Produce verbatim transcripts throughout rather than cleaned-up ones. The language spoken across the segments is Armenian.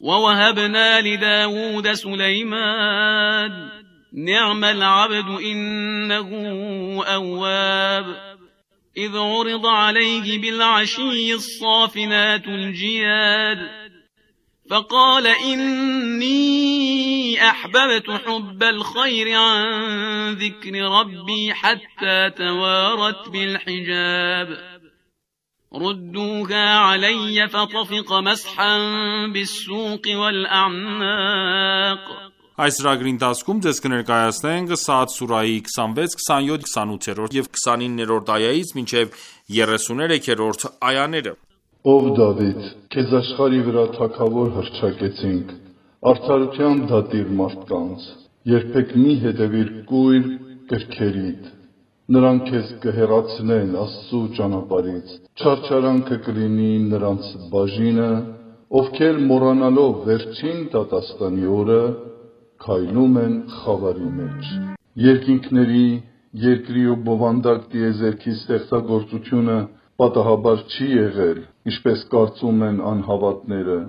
ووهبنا لداود سليمان نعم العبد إنه أواب إذ عرض عليه بالعشي الصافنات الجياد فقال إني أحببت حب الخير عن ذكر ربي حتى توارت بالحجاب ردوها علي فطفق مسحا بالسوق والأعناق Այս ծրագրի ընթացքում ձեզ կներկայացնենք Սաադ սուրահի քսանվեց, քսանյոթ, քսանութերորդ և քսանիններորդ այայից մինչև երեսուներեքերորդ այաները։ Ով Դավիթ, քեզ աշխարհի վրա թագավոր հռչակեցինք, արդարության դատիր մարդկանց, երբեք մի հետևիր կույր կրքերիդ, նրանք քեզ կհեռացնեն Աստծու ճանապարհից, չարչարանքը կլինի նրանց բաժինը, ովքեր մոռանալով վերջին դատաստանի օրը քայլում են խավարի մեջ։ Երկինքների, երկրի ու բովանդակ տիեզերքի ստեղծագործությունը պատահաբար չի եղել, ինչպես կարծում են անհավատները։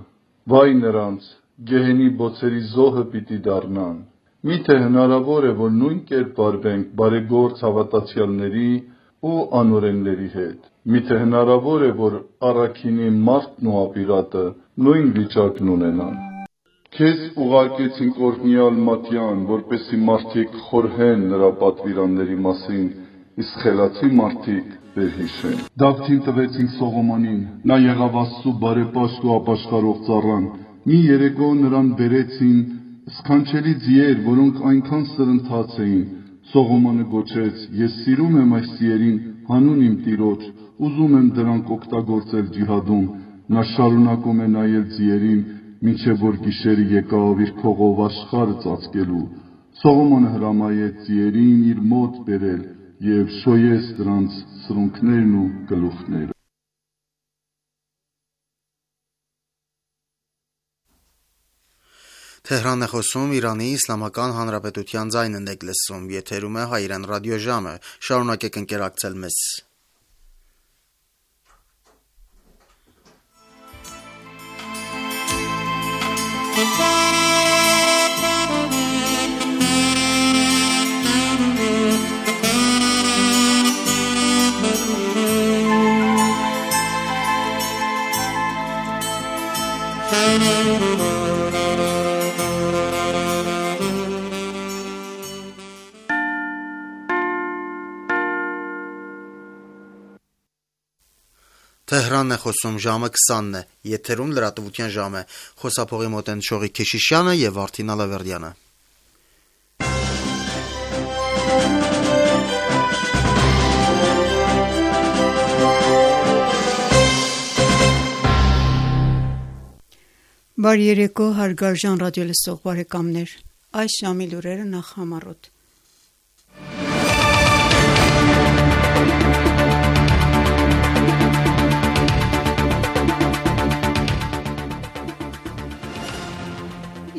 Վայ նրանց, գեհենի բոցերի զոհը պիտի դառնան։ Միթե հնարավոր է, որ նույն կերպ վարվենք բարեգործ հավատացյալների ու անօրենների հետ։ Միթե հնարավոր է, որ առաքինի մարդն ու ապիրատը նույն վիճակն ունենան։ Քեզ ուղարկեցինք օրհնյալ Մատյան, որպեսզի մարդիկ խորհեն նրա պատվիրանների մասին, իսկ խելացի մարդիկ վերհիշեն։ Դավթին տվեցինք Սողոմոնին, նա եղավ Աստծու բարեպաշտ ու ապաշխարող ծառան։ Մի երեկո նրան բերեցին սքանչելի ձիեր, որոնք այնքան սրընթաց էին։ Սողոմոնը գոչեց. Ես սիրում եմ այս ձիերին հանուն իմ Տիրոջ, ուզում եմ դրանք օգտագործել ջիհադում։ Նա շարունակում է նայել ձիերին, մինչև որ գիշերը եկավ իր փողով աշխարհը ծածկելու։ Սողոմոնը հրամայեց ձիերին իր մոտ բերել և շոյեց դրանց սրունքներն ու գլուխները։ Թեհրան է խոսում Իրանի Իսլամական Հանրապետության ձայնն եք լսում, եթերում է Հայրեն ռադիոժամը, շարունակեք ընկերակցել մեզ։ Թեհրանն է խոսում, ժամը քսանն է, եթերում լրատվության ժամ է, խոսափողի մոտ են Շողիկ Քեշիշյանը և Արթին Ալավերդյանը։ Բարի երեկո, հարգարժան ռադիոլսող բարեկամներ, այս ժամի լուրերը նախ համառոտ։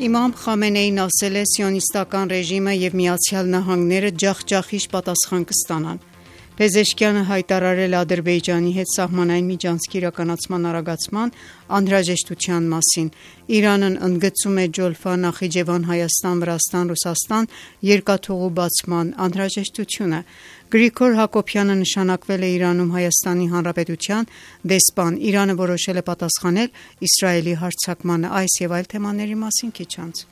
Իմամ Խամենեին ասել է սիոնիստական ռեժիմը և Միացյալ Նահանգները ջախջախիչ պատասխան կստանան։ Փեզեշքյանը հայտարարել է Ադրբեջանի հետ սահմանային միջանցքի իրականացման արագացման անհրաժեշտության մասին։ Իրանն ընդգծում է Ջոլֆա, Նախիջևան, Հայաստան, Վրաստան, Ռուսաստան երկաթուղու բացման անհրաժեշտությունը։ Գրիգոր Հակոբյանը նշանակվել է Իրանում Հայաստանի Հանրապետության դեսպան։ Իրանը որոշել է պատասխանել Իսրայելի հարձակմանը։ Այս և այլ թեմաների մասին քիչ անց։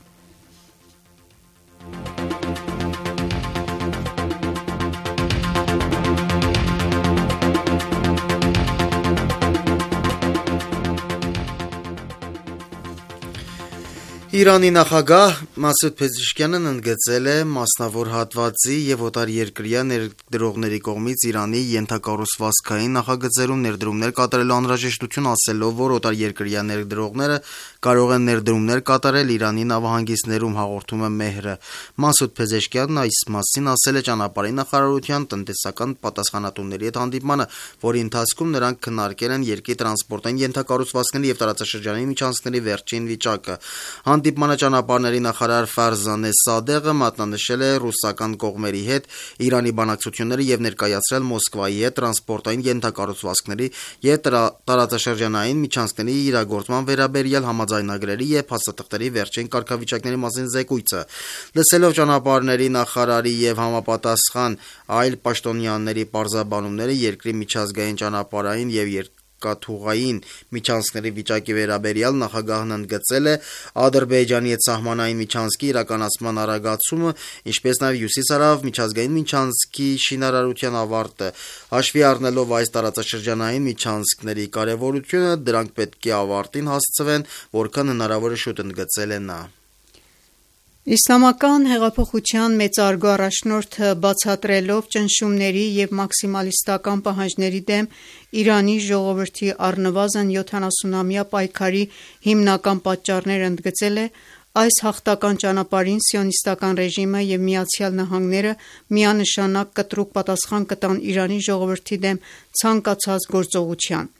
Իրանի նախագահ Մասուդ Փեզեշքյանն ընդգծել է մասնավոր հատվածի և օտարերկրյա ներդրողների կողմից Իրանի ենթակառուցվածքային նախագծերում ներդրումներ կատարելու անհրաժեշտություն, ասելով, որ օտարերկրյա ներդրողները կարող են ներդրումներ կատարել Իրանի նավահանգիստներում, հաղորդում է Մեհրը։ Մասուդ Փեզեշքյանն այս մասին ասել է ճանապարհի նախարարության տնտեսական պատասխանատուների հետ հանդիպմանը, որի ընթացքում նրանք քննարկել են երկրի տրանսպորտային ենթակառուցվածքների և տարածաշրջանային միջանցքների վերջին վիճակը։ Հանդիպմանը ճանապարհների նախարար Ֆարզանե Սադեղը մատնանշել է ռուսական կողմերի հետ Իրանի բանակցությունները եւ ներկայացրել Մոսկվայի հետ տրանսպորտային ենթակառուցվածքների եւ տարածաշրջանային միջանցքների իրագործման վերաբերյալ համաձայնագրերի եւ փաստաթղթերի վերջին կարգավիճակների մասին զեկույցը։ Լսելով ճանապարհների նախարարի եւ համապատասխան այլ պաշտոնյաների պարզաբանումները երկրի միջազգային ճանապարհային եւ երկաթուղային միջանցքների վիճակի վերաբերյալ նախագահն ընդգծել է Ադրբեջանի հետ սահմանային միջանցքի իրականացման արագացումը, ինչպես նաեւ հյուսիսարավ միջազգային միջանցքի շինարարության ավարտը։ Հաշվի առնելով այս տարածաշրջանային միջանցքների կարեւորությունը, դրանք պետք է ավարտին հասցվեն որքան հնարավոր է շուտ, ընդգծել է նա։ Իսլամական հեղափոխության մեծարգո առաջնորդը բացատրելով ճնշումների եւ մաքսիմալիստական պահանջների դեմ Իրանի ժողովրդի առնվազն յոթանասունամյա պայքարի հիմնական պատճառները ընդգծել է այս հաղթական ճանապարհին սիոնիստական ռեժիմը եւ Միացյալ Նահանգները միանշանակ կտրուկ պատասխան կտան Իրանի ժողովրդի դեմ ցանկացած գործողության։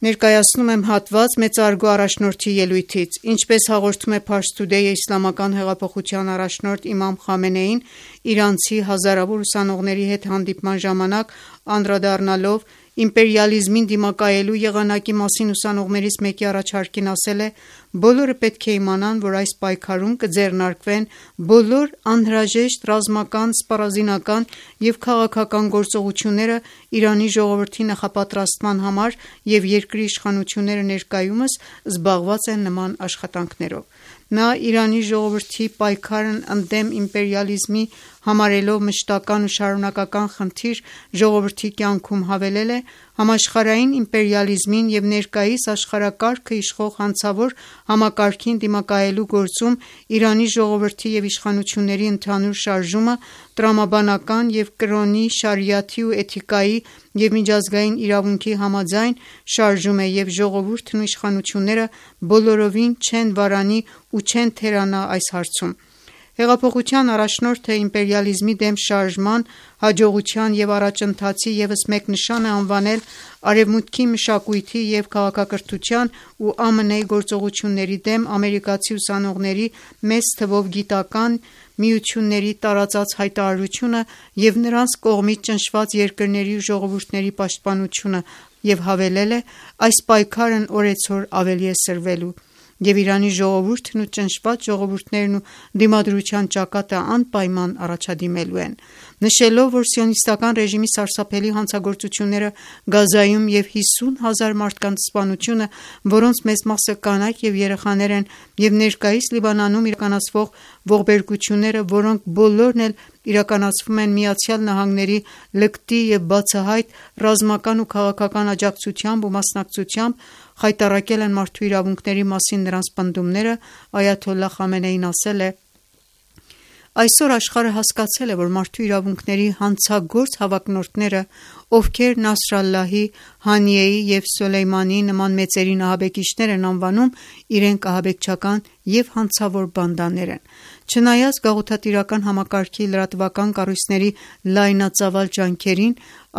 Ներկայացնում եմ հատված մեծարգո առաջնորդի ելույթից։ Ինչպես հաղորդում է Pars Today-ը, իսլամական հեղափոխության առաջնորդ Իմամ Խամենեին իրանցի հազարավոր ուսանողների հետ հանդիպման ժամանակ անդրադառնալով իմպերիալիզմին դիմակայելու եղանակի մասին ուսանողներից մեկի առաջարկին ասել է. «Բոլորը պետք է իմանան, որ այս պայքարում կձեռնարկվեն բոլոր անհրաժեշտ ռազմական, սպառազինական և քաղաքական գործողությունները Իրանի ժողովրդի նախապատրաստման համար և երկրի իշխանությունները ներկայումս զբաղված են նման աշխատանքներով»։ Նա Իրանի ժողովրդի պայքարն ընդդեմ իմպերիալիզմի համարելով մշտական ու շարունակական խնդիր ժողովրդի կյանքում հավելել է. «Համաշխարհային իմպերիալիզմին և ներկայիս աշխարհակարգը իշխող հանցավոր համակարգին դիմակայելու գործում Իրանի ժողովրդի և իշխանությունների ընդհանուր շարժումը տրամաբանական և կրոնի, շարիաթի ու էթիկայի և միջազգային իրավունքի համաձայն շարժում է և ժողովուրդն ու իշխանությունները բոլորովին չեն վարանի ու չեն թերանա այս հարցում»։ Հեղափոխության առաջնորդը իմպերիալիզմի դեմ շարժման հաջողության և առաջընթացի ևս մեկ նշան է անվանել Արևմուտքի մշակույթի և քաղաքակրթության ու ԱՄՆ -ի գործողությունների դեմ ամերիկացի ուսանողների մեծ թվով գիտական միությունների տարածած հայտարարությունը և նրանց կողմից ճնշված երկրների ու ժողովուրդների պաշտպանությունը և հավելել է. «Այս պայքարն օրեցօր ավելի է սրվելու, և Իրանի ժողովուրդն ու ճնշված ժողովուրդներն ու դիմադրության ճակատը անպայման առաջադիմելու են»։ Նշելով, որ սիոնիստական ռեժիմի սարսափելի հանցագործությունները Գազայում և հիսուն հազար մարդկանց սպանությունը, որոնց մեծ մասը կանայք և երեխաներ են, և ներկայիս Լիբանանում իրականացվող ողբերգությունները, որոնք բոլորն էլ իրականացվում են Միացյալ Նահանգների լկտի և բացահայտ ռազմական ու քաղաքական աջակցությամբ ու մասնակցությամբ, խայտառակել են մարդու իրավունքների մասին նրանց պնդումները, այաթոլլահ Խամենեին ասել է. «Այսօր աշխարհը հասկացել է, որ մարդու իրավունքների հանցագործ հավակնորդները, ովքեր Նասրալլահի, Հանիեի և Սոլեյմանիի նման մեծերին ահաբեկիչներ են անվանում, իրենք ահաբեկչական և հանցավոր բանդաներ են»։ Չնայած գաղութատիրական համակարգի լրատվական կառույցների լայնածավալ ջանքերին,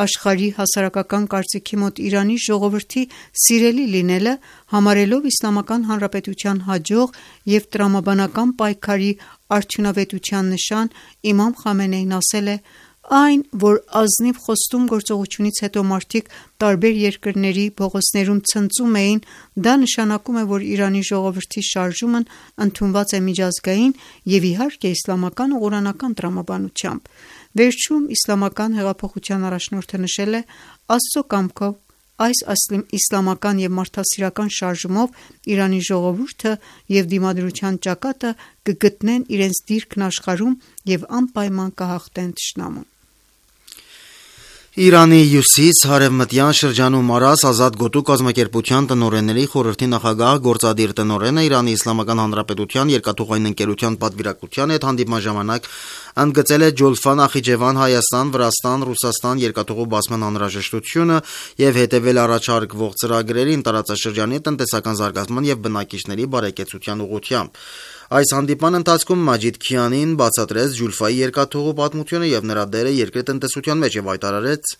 աշխարհի հասարակական կարծիքի մոտ Իրանի ժողովրդի սիրելի լինելը, համարելով Իսլամական Հանրապետության հաջող և տրամաբանական պայքարի արդյունավետության նշան, Իմամ Խամենեին ասել է. «Այն, որ ազնիվ խոստում գործողությունից հետո մարդիկ տարբեր երկրների փողոցներում ցնծում էին, դա նշանակում է, որ Իրանի ժողովրդի շարժումն ընդունված է միջազգային և իհարկե իսլամական ու ղուրանական տրամաբանությամբ»։ Վերջում իսլամական հեղափոխության առաջնորդը նշել է. «Աստծո կամքով այս իսլամական և մարդասիրական շարժումով Իրանի ժողովուրդը և դիմադրության ճակատը կգտնեն իրենց դիրքն աշխարհում և անպայման կհաղթեն թշնամուն»։ Իրանի հյուսիս-հարևմտյան շրջանում առած Ազատ գոտու կազմակերպության տնօրենների խորհրդի նախագահ, գործադիր տնօրենը Իրանի Իսլամական Հանրապետության երկաթուղային ընկերության պատվիրակության հետ հանդիպման ժամանակ ընդգծել է Ջոլֆան-Նախիջևան-Հայաստան-Վրաստան- Ռուսաստան երկաթուղու բացման անհրաժեշտությունը և հետևել առաջարկվող ծրագրերին տարածաշրջանի տնտեսական զարգացման և բնակիչների բարեկեցության ուղղությամբ։ Այս հանդիպման ընթացքում Մաջիդ Քիանին բացատրեց Ջուլֆայի երկաթուղու պատմությունը և նրա դերը երկրի տնտեսության մեջ և հայտարարեց,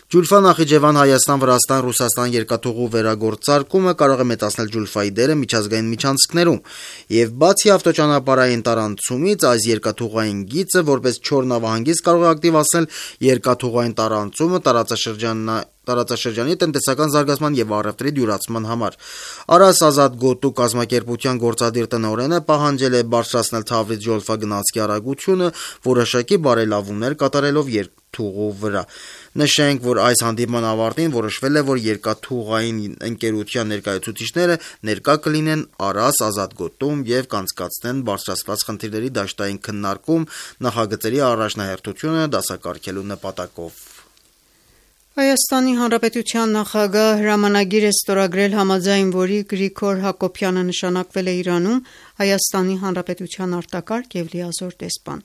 Ջուլֆա Նախիջևան Հայաստան-Վրաստան-Ռուսաստան երկաթուղու վերագործարկումը կարող է մեծացնել ջուլֆայի դերը միջազգային միջանցքներում, եւ բացի ավտոճանապարհային տարանցումից, այս երկաթուղային գիծը որպես չոր նավահանգիստ կարող է ակտիվացնել երկաթուղային տարանցումը տարածաշրջանային տարածաշրջանի տնտեսական զարգացման եւ առևտրի դյուրացման համար։ Արաս Ազատ գոտու կազմակերպության գործադիր տնօրենը պահանջել է բարձրացնել Թավրիզ Ջոլֆա գնացքի արագությունը, որոշակի բարելավումներ կատարելով երկաթուղու վրա։ Նշենք, որ այս հանդիպման ավարտին որոշվել է, որ երկաթուղային ընկերության ներկայացուցիչները ներկա կլինեն Արաս Ազատ գոտում եւ կանցկացնեն բարձրացված խնդիրների դաշտային քննարկում նախագծերի առաջնահերթությունը դասակարգելու նպատակով։ Հայաստանի Հանրապետության նախագահ հրամանագիր է ստորագրել, համաձայն որի Գրիգոր Հակոբյանը նշանակվել է Իրանում Հայաստանի Հանրապետության արտակարգ եւ լիազոր դեսպան։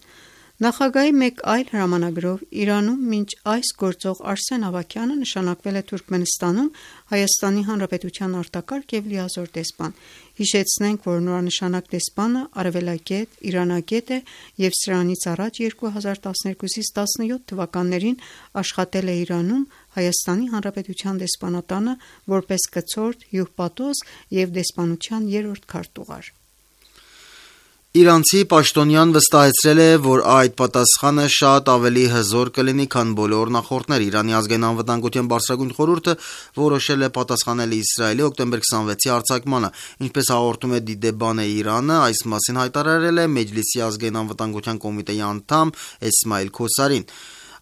Նախագահի մեկ այլ հրամանագրով Իրանում մինչ այս գործող Արսեն Ավագյանը նշանակվել է Թուրքմենստանում Հայաստանի Հանրապետության արտակարգ եւ լիազոր դեսպան։ Հիշեցնենք, որ նորանշանակ դեսպանը արևելագետ, իրանագետ է եւ սրանից առաջ երկու հազար տասներկուսից տասնյոթ թվականներին աշխատել է Իրանում Հայաստանի Հանրապետության դեսպանատանը որպես կցորդ, հյուպատոս եւ դեսպանության երրորդ քարտուղար։ Իրանցի պաշտոնյան վստահեցրել է, որ այդ պատասխանը շատ ավելի հզոր կլինի, քան բոլոր նախորդները։ Իրանի ազգային անվտանգության բարձրագույն խորհուրդը որոշել է պատասխանել Իսրայելի օկտեմբեր քսանվեցի արձակմանը, ինչպես հաղորդում է Դիդեբան է Իրանը, այս մասին հայտարարել է Մեջլիսի ազգային անվտանգության կոմիտեի անդամ Էսմայիլ Քոսարին։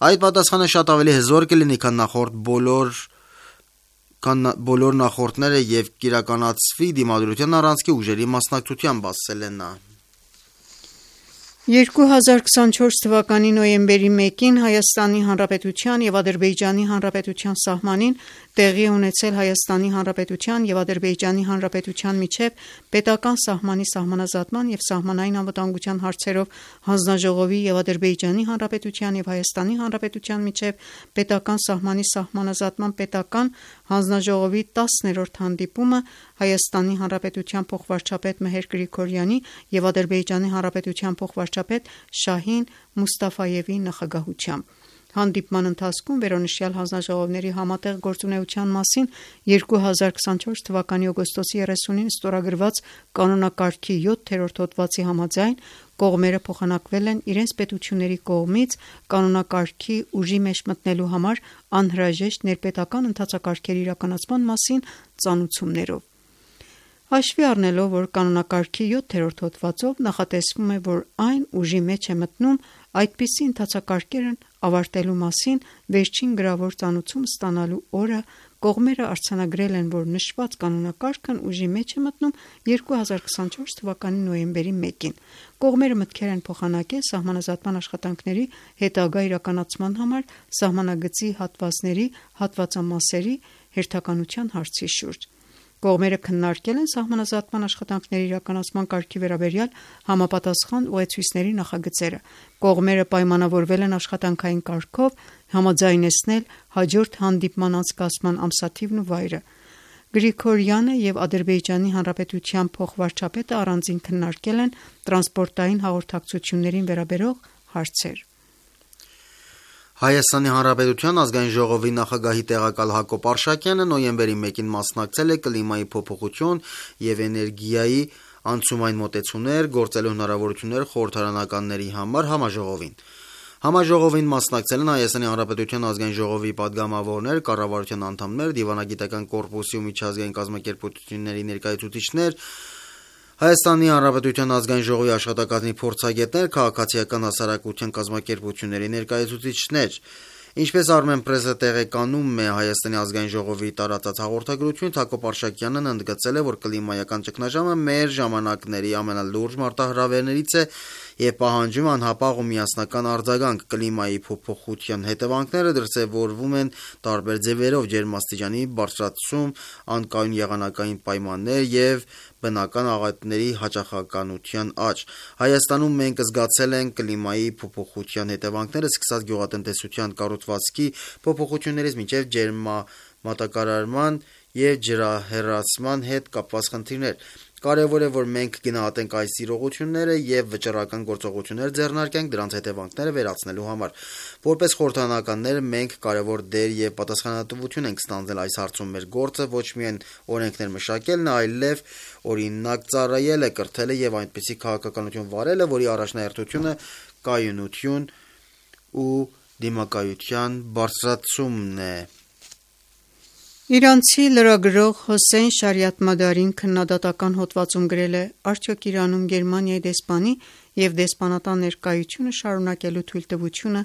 Այդ պատասխանը շատ ավելի հզոր կլինի, քան նախորդ բոլոր քան բոլոր նախորդները եւ կիրականացվի դիմադրության առանցքի ուժերի մասնակցությամբ, ասել է նա։ երկու հազար քսանչորս թվականի նոյեմբերի մեկին Հայաստանի Հանրապետության եւ Ադրբեջանի Հանրապետության սահմանին տեղի ունեցել Հայաստանի Հանրապետության եւ Ադրբեջանի Հանրապետության միջև պետական սահմանի սահմանազատման եւ սահմանային անվտանգության հարցերով հանձնաժողովի եւ Ադրբեջանի Հանրապետության եւ Հայաստանի Հանրապետության միջև պետական սահմանի սահմանազատման պետական հանձնաժողովի տասներորդ հանդիպումը Հայաստանի Հանրապետության փոխվարչապետ Մեհեր Գրիգորյանի եւ Ադրբեջանի Հանրապետության փոխվարչապետ Շահին Մուստաֆայևի նախագահությամբ։ Հանդիպման ընթացքում վերոնշյալ հանձնաժողովների համատեղ գործունեության մասին երկու հազար քսանչորս թվականի օգոստոսի երեսունին ստորագրված կանոնակարգի յոթերորդ հոդվածի համաձայն կողմերը փոխանակվել են իրենց պետությունների կողմից կանոնակարգի ուժի մեջ մտնելու համար անհրաժեշտ ներպետական ընթացակարգերի իրականացման մասին ծանուցումներով։ Հաշվի առնելով, որ կանոնակարգի յոթերորդ հոդվածով նախատեսվում է, որ այն ուժի մեջ է մտնում այդպիսի ընթացակարգերն ավարտելու մասին վերջին գրավոր ծանուցում ստանալու օրը կողմերը արձանագրել են, որ նշված կանոնակարգն ուժի մեջ է մտնում երկու հազար քսանչորս թվականի նոյեմբերի մեկին։ Կողմերը մտքեր են փոխանակել սահմանազատման աշխատանքների հետագա իրականացման համար սահմանագծի հատվածների հատվածամասերի հերթականության հարցի շուրջ։ Կողմերը քննարկել են սահմանազատման աշխատանքների իրականացման կարգի վերաբերյալ համապատասխան ուղեցույցների նախագծերը։ Կողմերը պայմանավորվել են աշխատանքային կարգով համաձայնեցնել հաջորդ հանդիպման անցկացման ամսաթիվն ու վայրը։ Գրիգորյանը եւ Ադրբեջանի Հանրապետության փոխվարչապետը առանձին քննարկել են տրանսպորտային հաղորդակցություններին վերաբերող հարցեր։ Հայաստանի Հանրապետության ազգային ժողովի նախագահի տեղակալ Հակոբ Արշակյանը նոյեմբերի մեկին մասնակցել է կլիմայի փոփոխություն եւ էներգիայի անցումային մոտեցումներ գործելու հնարավորություններ խորհրդարանականների համար համաժողովին։ Համաժողովին մասնակցել են Հայաստանի Հանրապետության ազգային ժողովի падգամավորներ, կառավարության անդամներ, դիվանագիտական կորպուսի ու միջազգային կազմակերպությունների ներկայացուցիչներ, Հայաստանի Հանրապետության ազգային ժողովի աշխատակազմի փորձագետներ, քաղաքացիական հասարակության կազմակերպությունների ներկայացուցիչներ։ Ինչպես Armen Press-ը տեղեկանում է Հայաստանի ազգային ժողովի տարածած հաղորդագրությունից, Հակոբ Արշակյանն ընդգծել է, որ կլիմայական ճգնաժամը մեր ժամանակների ամենալուրջ մարտահրավերներից է եւ պահանջում անհապաղ ու միասնական արձագանք։ Կլիմայի փոփոխության հետևանքները դրսևորվում են տարբեր ձևերով՝ ջերմաստիճանի բարձրացում, անկայուն եղանակային պայմաններ եւ բնական աղետների հաճախականության աճ։ Հայաստանում մենք զգացել ենք կլիմայի փոփոխության հետևանքները սկսած գյուղատնտեսության կառուցվածքի փոփոխություններից մինչև ջերմամատակարարման և ջրահեռացման հետ կապված խնդիրներ։ Կարևոր է, որ մենք գնահատենք այս իրողությունները և վճռական գործողություններ ձեռնարկենք դրանց հետևանքները վերացնելու համար։ Որպես խորհրդարանականներ մենք կարևոր դեր և պատասխանատվություն ենք ստանձնել այս հարցում։ Մեր գործը ոչ միայն օրենքներ մշակելն է, այլև օրինակ ծառայելը, կրթելը և այնպիսի քաղաքականություն վարելը, որի առաջնահերթությունը կայունություն ու դիմակայության բարձրացումն է։ Իրանցի լրագրող Հոսեյն Շարիաթմադարին քննադատական հոդվածում գրել է. «Արդյոք Իրանում Գերմանիայի դեսպանի և դեսպանատան ներկայությունը շարունակելու թույլտվությունը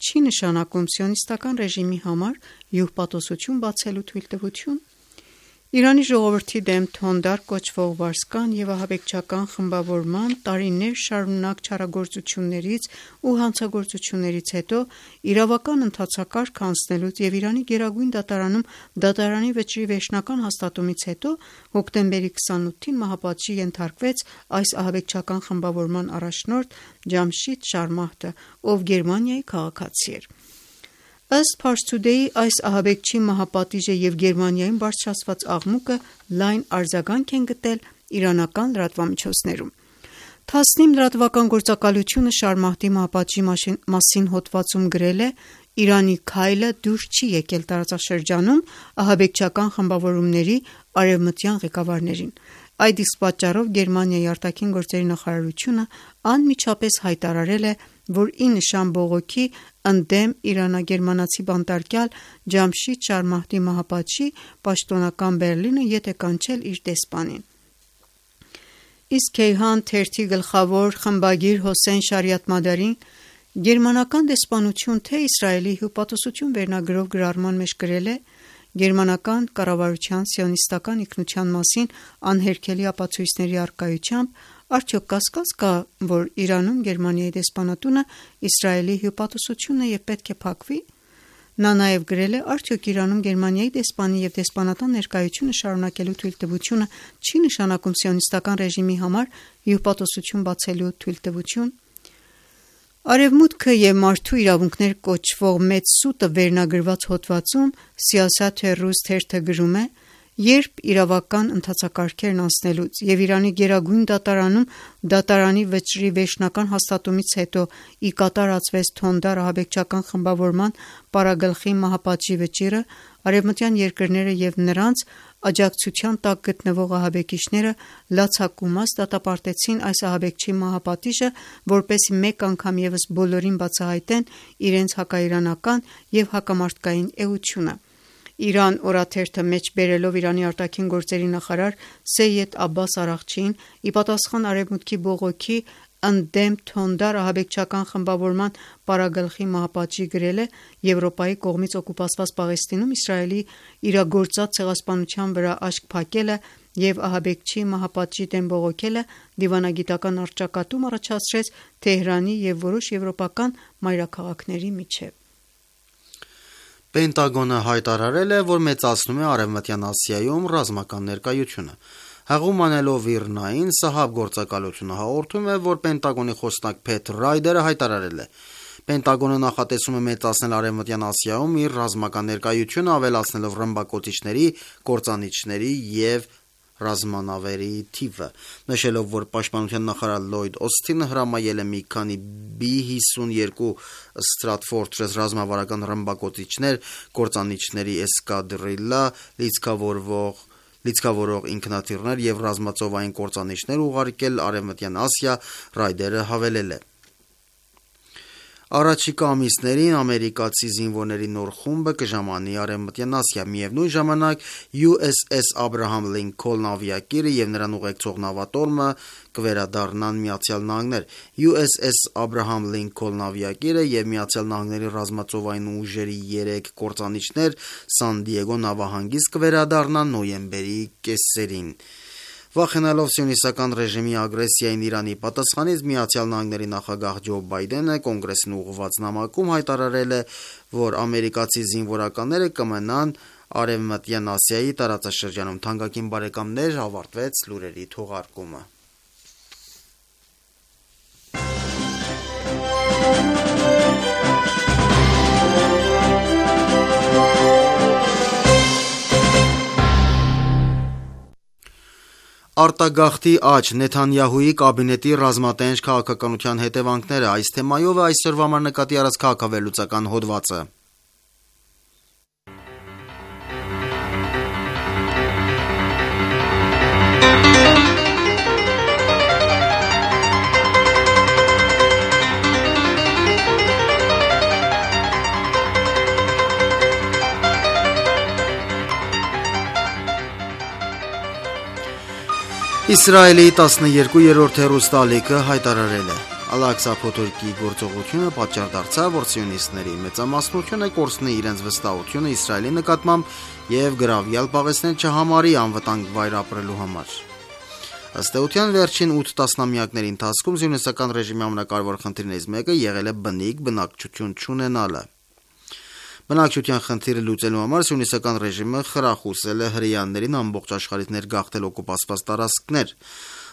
չի նշանակում սիոնիստական ռեժիմի համար հյուպատոսություն բացելու թույլտվություն»։ Իրանի ժողովրդի դեմ թոնդար կոչվող վարձկան և ահաբեկչական խմբավորման տարիներ շարունակ չարագործություններից ու հանցագործություններից հետո իրավական ընթացակարգ անցնելուց և Իրանի Գերագույն դատարանում դատարանի վճռի վերջնական հաստատումից հետո հոկտեմբերի քսանութին մահապատժի ենթարկվեց այս ահաբեկչական խմբավորման առաջնորդ Ջամշիդ Շարմահդը, ով Գերմանիայի քաղաքացի էր։ Ըստ Pars Today, այս ահաբեկչի մահապատիժը և Գերմանիայում բարձրացված աղմուկը լայն արձագանք են գտել իրանական լրատվամիջոցներում։ Թասնիմ լրատվական գործակալությունը Շարմահդի մահապատժի մասին հոդվածում գրել է. «Իրանի քայլը դուր չի եկել տարածաշրջանում ահաբեկչական խմբավորումների արևմտյան ղեկավարներին»։ Այդ իսկ պատճառով Գերմանիայի արտաքին գործերի նախարարությունը անմիջապես հայտարարել է, որ ի նշան բողոքի ընդդեմ իրանա-գերմանացի բանտարկյալ Ջամշիդ Շարմահդի մահապատժի պաշտոնական Բեռլինը ետ է կանչել իր դեսպանին։ Իսկ Քեյհան թերթի գլխավոր խմբագիր Հոսեյն Շարիաթմադարին գերմանական դեսպանություն թե Իսրայելի հյուպատոսություն վերնագրով գրառման մեջ գրել է. «Գերմանական կառավարության սիոնիստական ինքնության մասին անհերքելի ապացույցների առկայությամբ արդյոք կասկած կա, որ Իրանում Գերմանիայի դեսպանատունը Իսրայելի հյուպատոսություն է և պետք է փակվի»։ Նա նաև գրել է. «Արդյոք Իրանում Գերմանիայի դեսպանի և դեսպանատան ներկայությունը շարունակելու թույլտվությունը չի նշանակում սիոնիստական ռեժիմի համար հյուպատոսություն բացելու թույլտվություն»։ «Արևմուտքը և մարդու իրավունքներ» կոչվող մեծ սուտը վերնագրված հոդվածում Սիասաթ Ռուս թերթը գրում է. «Երբ իրավական ընթացակարգերն անցնելուց և Իրանի Գերագույն դատարանում դատարանի վճռի վերջնական հաստատումից հետո ի կատար ածվեց թոնդար ահաբեկչական խմբավորման պարագլխի մահապատժի վճիռը, արևմտյան երկրները և նրանց աջակցության տակ գտնվող ահաբեկիչները լացակումած դատապարտեցին այս ահաբեկչի մահապատիժը, որպեսզի մեկ անգամ ևս բոլորին բացահայտեն իրենց հակաիրանական և հակամարդկային էությունը»։ «Իրան» օրաթերթը մեջ բերելով Իրանի արտաքին գործերի նախարար Սեյեդ Աբբաս Արաղչիին ի պատասխան Արևմուտքի բողոքի ընդդեմ թոնդար ահաբեկչական խմբավորման պարագլխի մահապատժի գրել է. «Եվրոպայի կողմից օկուպացված Պաղեստինում Իսրայելի իրագործած ցեղասպանության վրա աչք փակելը և ահաբեկչի մահապատժի դեմ բողոքելը դիվանագիտական առճակատում առաջացրեց Թեհրանի և որոշ եվրոպական մայրաքաղաքների միջև»։ Պենտագոնը հայտարարել է, որ մեծացնում է Արևմտյան Ասիայում ռազմական ներկայությունը։ Հղում անելով ԻՌՆԱ-ին, Սահաբ գործակալությունը հաղորդում է, որ Պենտագոնի խոսնակ Փեթ Ռայդերը հայտարարել է. «Պենտագոնը նախատեսում է մեծացնել Արևմտյան Ասիայում իր ռազմական ներկայությունը, ավելացնելով ռմբակոծիչների, կործանիչների և ռազմանավերի թիվը», նշելով, որ պաշտպանության նախարար Լլոյդ Օսթինը հրամայել է մի քանի բի հիսունյոթ Stratofortress ռազմավարական ռմբակոծիչներ, կործանիչների էսկադրիլլա, լիցքավորող ինքնաթիռներ և ռազմածովային կործանիչներ ուղարկել Արևմտյան Ասիա։ Ռայդերը հավելել է. «Առաջիկա ամիսներին ամերիկացի զինվորների նոր խումբը կժամանի Արևմտյան Ասիա։ Միևնույն ժամանակ յու էս էս Աբրահամ Լինքոլն ավիակիրը և նրան ուղեկցող նավատորմը կվերադառնան Միացյալ Նահանգներ։ յու էս էս Աբրահամ Լինքոլն ավիակիրը և Միացյալ Նահանգների ռազմածովային ուժերի երեք կործանիչներ Սան Դիեգո նավահանգիստ կվերադառնան նոյեմբերի կեսերին»։ Վախենալով սիոնիստական ռեժիմի ագրեսիային Իրանի պատասխանից, Միացյալ Նահանգների նախագահ Ջո Բայդենը կոնգրեսին ուղղված նամակում հայտարարել է, որ ամերիկացի զինվորականները կմնան Արևմտյան Ասիայի տարածաշրջանում։ Թանկագին բարեկամներ, ավարտվեց լուրերի թողարկումը։ Արտագաղթի աճ, Նեթանյահուի կաբինետի ռազմատենչ քաղաքականության հետևանքները, այս թեմայով է այսօրվա համար նկատի առած քաղաքավերլուծական հոդվածը։ Իսրայելի տասներկուերորդ հեռուստաալիքը հայտարարել է. Ալ-Աղսա փոթորկի գործողությունը պատճառ դարձավ, որ սիոնիստների մեծամասնությունը կորցնի իրենց վստահությունը Իսրայելի նկատմամբ եւ գրավյալ Պաղեստին չհամարի անվտանգ վայր ապրելու համար։ Ըստ էության վերջին ութ տասնամյակների ընթացքում սիոնիստական ռեժիմի ամենակարևոր խնդիրներից մեկը եղել է բնիկ բնակչություն չունենալը։ Բնակչության խնդիրը լուծելու համար սիոնիստական ռեժիմը խրախուսել է հրեաներին ամբողջ աշխարհից ներգաղթել օկուպացված տարածքներ։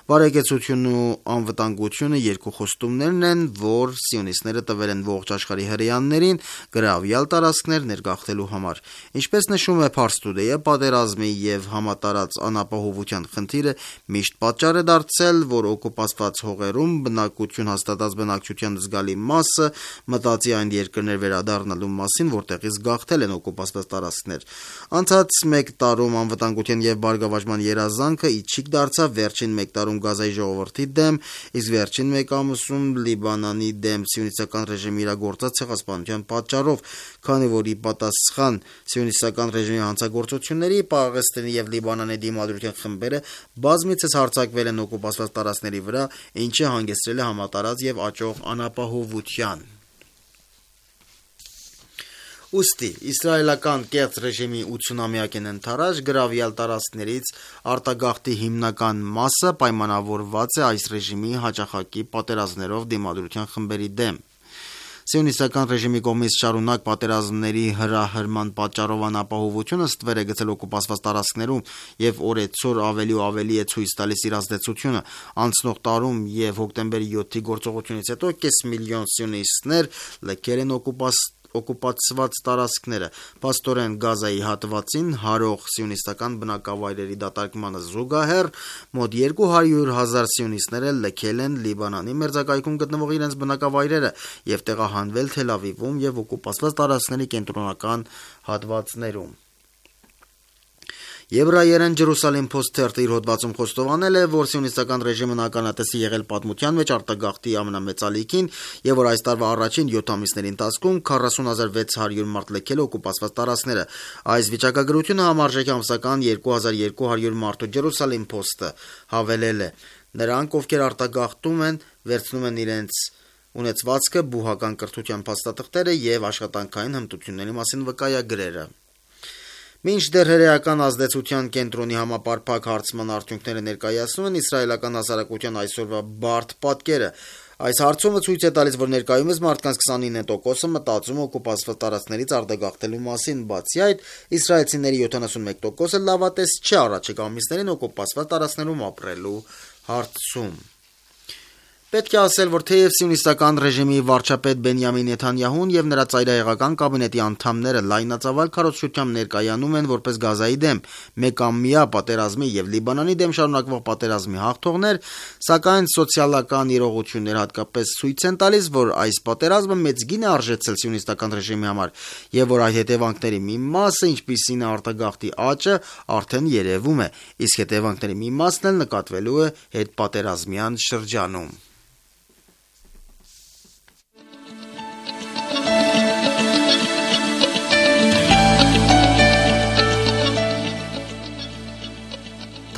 Բարեկեցությունն ու անվտանգությունը երկու խոստումներն են, որ սիոնիստները տվել են ողջ աշխարհի հրեաներին գրավյալ տարածքներ ներգաղթելու համար։ Ինչպես նշում է Pars Today-ը, պատերազմի եւ համատարած անապահովության խնդիրը միշտ պատճառ է դարձել, որ օկուպացված հողերում բնակություն հաստատած բնակչության զգալի մասը մտածի այն երկրներ վերադառնալու մասին, որտեղից գաղթել են օկուպացված տարածքներ։ Անցած մեկ տարում անվտանգության եւ բարգավաճման երազանքը իջիկ դարձավ վերջին մեկ տարում Գազայի ժողովրդի դեմ, իսկ վերջին մեկ ամսում Լիբանանի դեմ սիոնիստական ռեժիմի իրագործած ցեղասպանության պատճառով, քանի որ ի պատասխան սիոնիստական ռեժիմի հանցագործությունների Պաղեստինի եւ Լիբանանի դիմադրության խմբերը բազմիցս հարձակվել են օկուպացված տարածքների վրա, ինչը հանգեցրել է համատարած եւ աճող անապահովության։ Ուստի իսրայելական կեղծ ռեժիմի ութսունամյակին ընթരാճ գրավյալ տարածքներից արտագաղթի հիմնական մասը պայմանավորված է այս ռեժիմի հաճախակի պատերազմներով դիմադրության խմբերի դեմ։ Սիոնիստական ռեժիմի կողմից շարունակ պատերազմների հրահրման պատճառով անապահովությունը ստվեր է գցել օկուպացված տարածքներում եւ օրեցօր ավելի ու ավելի է ցույց տալիս իր ազդեցությունը։ Անցնող տարում եւ հոկտեմբերի յոթի գործողությունից հետո կես միլիոն սիոնիստներ լքել են օկուպացված օկուպացված տարածքները, փաստորեն Գազայի հատվածին հարող սիոնիստական բնակավայրերի դատարկմանը զուգահեռ մոտ երկու հարյուր հազար սիոնիստներ լքել են Լիբանանի մերձակայքում գտնվող իրենց բնակավայրերը եւ տեղահանվել Թել Ավիվում եւ օկուպացված տարածքների կենտրոնական հատվածներում։ Եբրայերեն Jerusalem Post թերթը իր հոդվածում խոստովանել է, որ սիոնիստական ռեժիմն ականատես է եղել պատմության մեջ արտագաղթի ամենամեծ ալիքին եւ որ այս տարվա առաջին յոթ ամիսների ընթացքում քառասուն հազար վեց հարյուր մարդ լքել օկուպացված տարածքները։ Այս վիճակագրությունը համարժեք է ամսական երկու հազար երկու հարյուր մարդու Jerusalem Post-ը հավելել է։ Նրանք, ովքեր արտագաղթում են, վերցնում են իրենց ունեցվածքը, բուհական կրթության փաստաթղթերը եւ աշխատանքային հմտությունների մասին վկայագրերը։ Մինչդեռ հրեական ազդեցության կենտրոնի համապարփակ հարցման արդյունքները ներկայացնում են իսրայելական հասարակության այսօրվա բարդ պատկերը։ Այս հարցումը ցույց է տալիս, որ ներկայումս մարդկանց քսանինը տոկոսը մտածում օկուպացված տարածքներից արտագաղթելու մասին, բացի այդ, իսրայելցիների յոթանասունմեկ տոկոսը լավատես չէ առաջիկա ամիսներին օկուպացված տարածքներում ապրելու հարցում։ Պետք է ասել, որ թեև սիոնիստական ռեժիմի վարչապետ Բենյամին Նեթանյահուն եւ նրա ծայրահեղական կաբինետի անդամները լայնածավալ քարոզչությամբ ներկայանում են որպես Գազայի դեմ մեկամյա պատերազմի եւ Լիբանանի դեմ շարունակվող պատերազմի հաղթողներ, սակայն սոցիալական իրողություններ հատկապես ցույց են տալիս, որ այս պատերազմը մեծ գին է արժեցել սիոնիստական ռեժիմի համար եւ որ այդ հետևանքների մի մասը, ինչպիսին է արտագաղթի աճը, արդեն երևում է, իսկ հետևանքների մի մասն էլ նկատվելու է հետպատերազմյան շրջանում։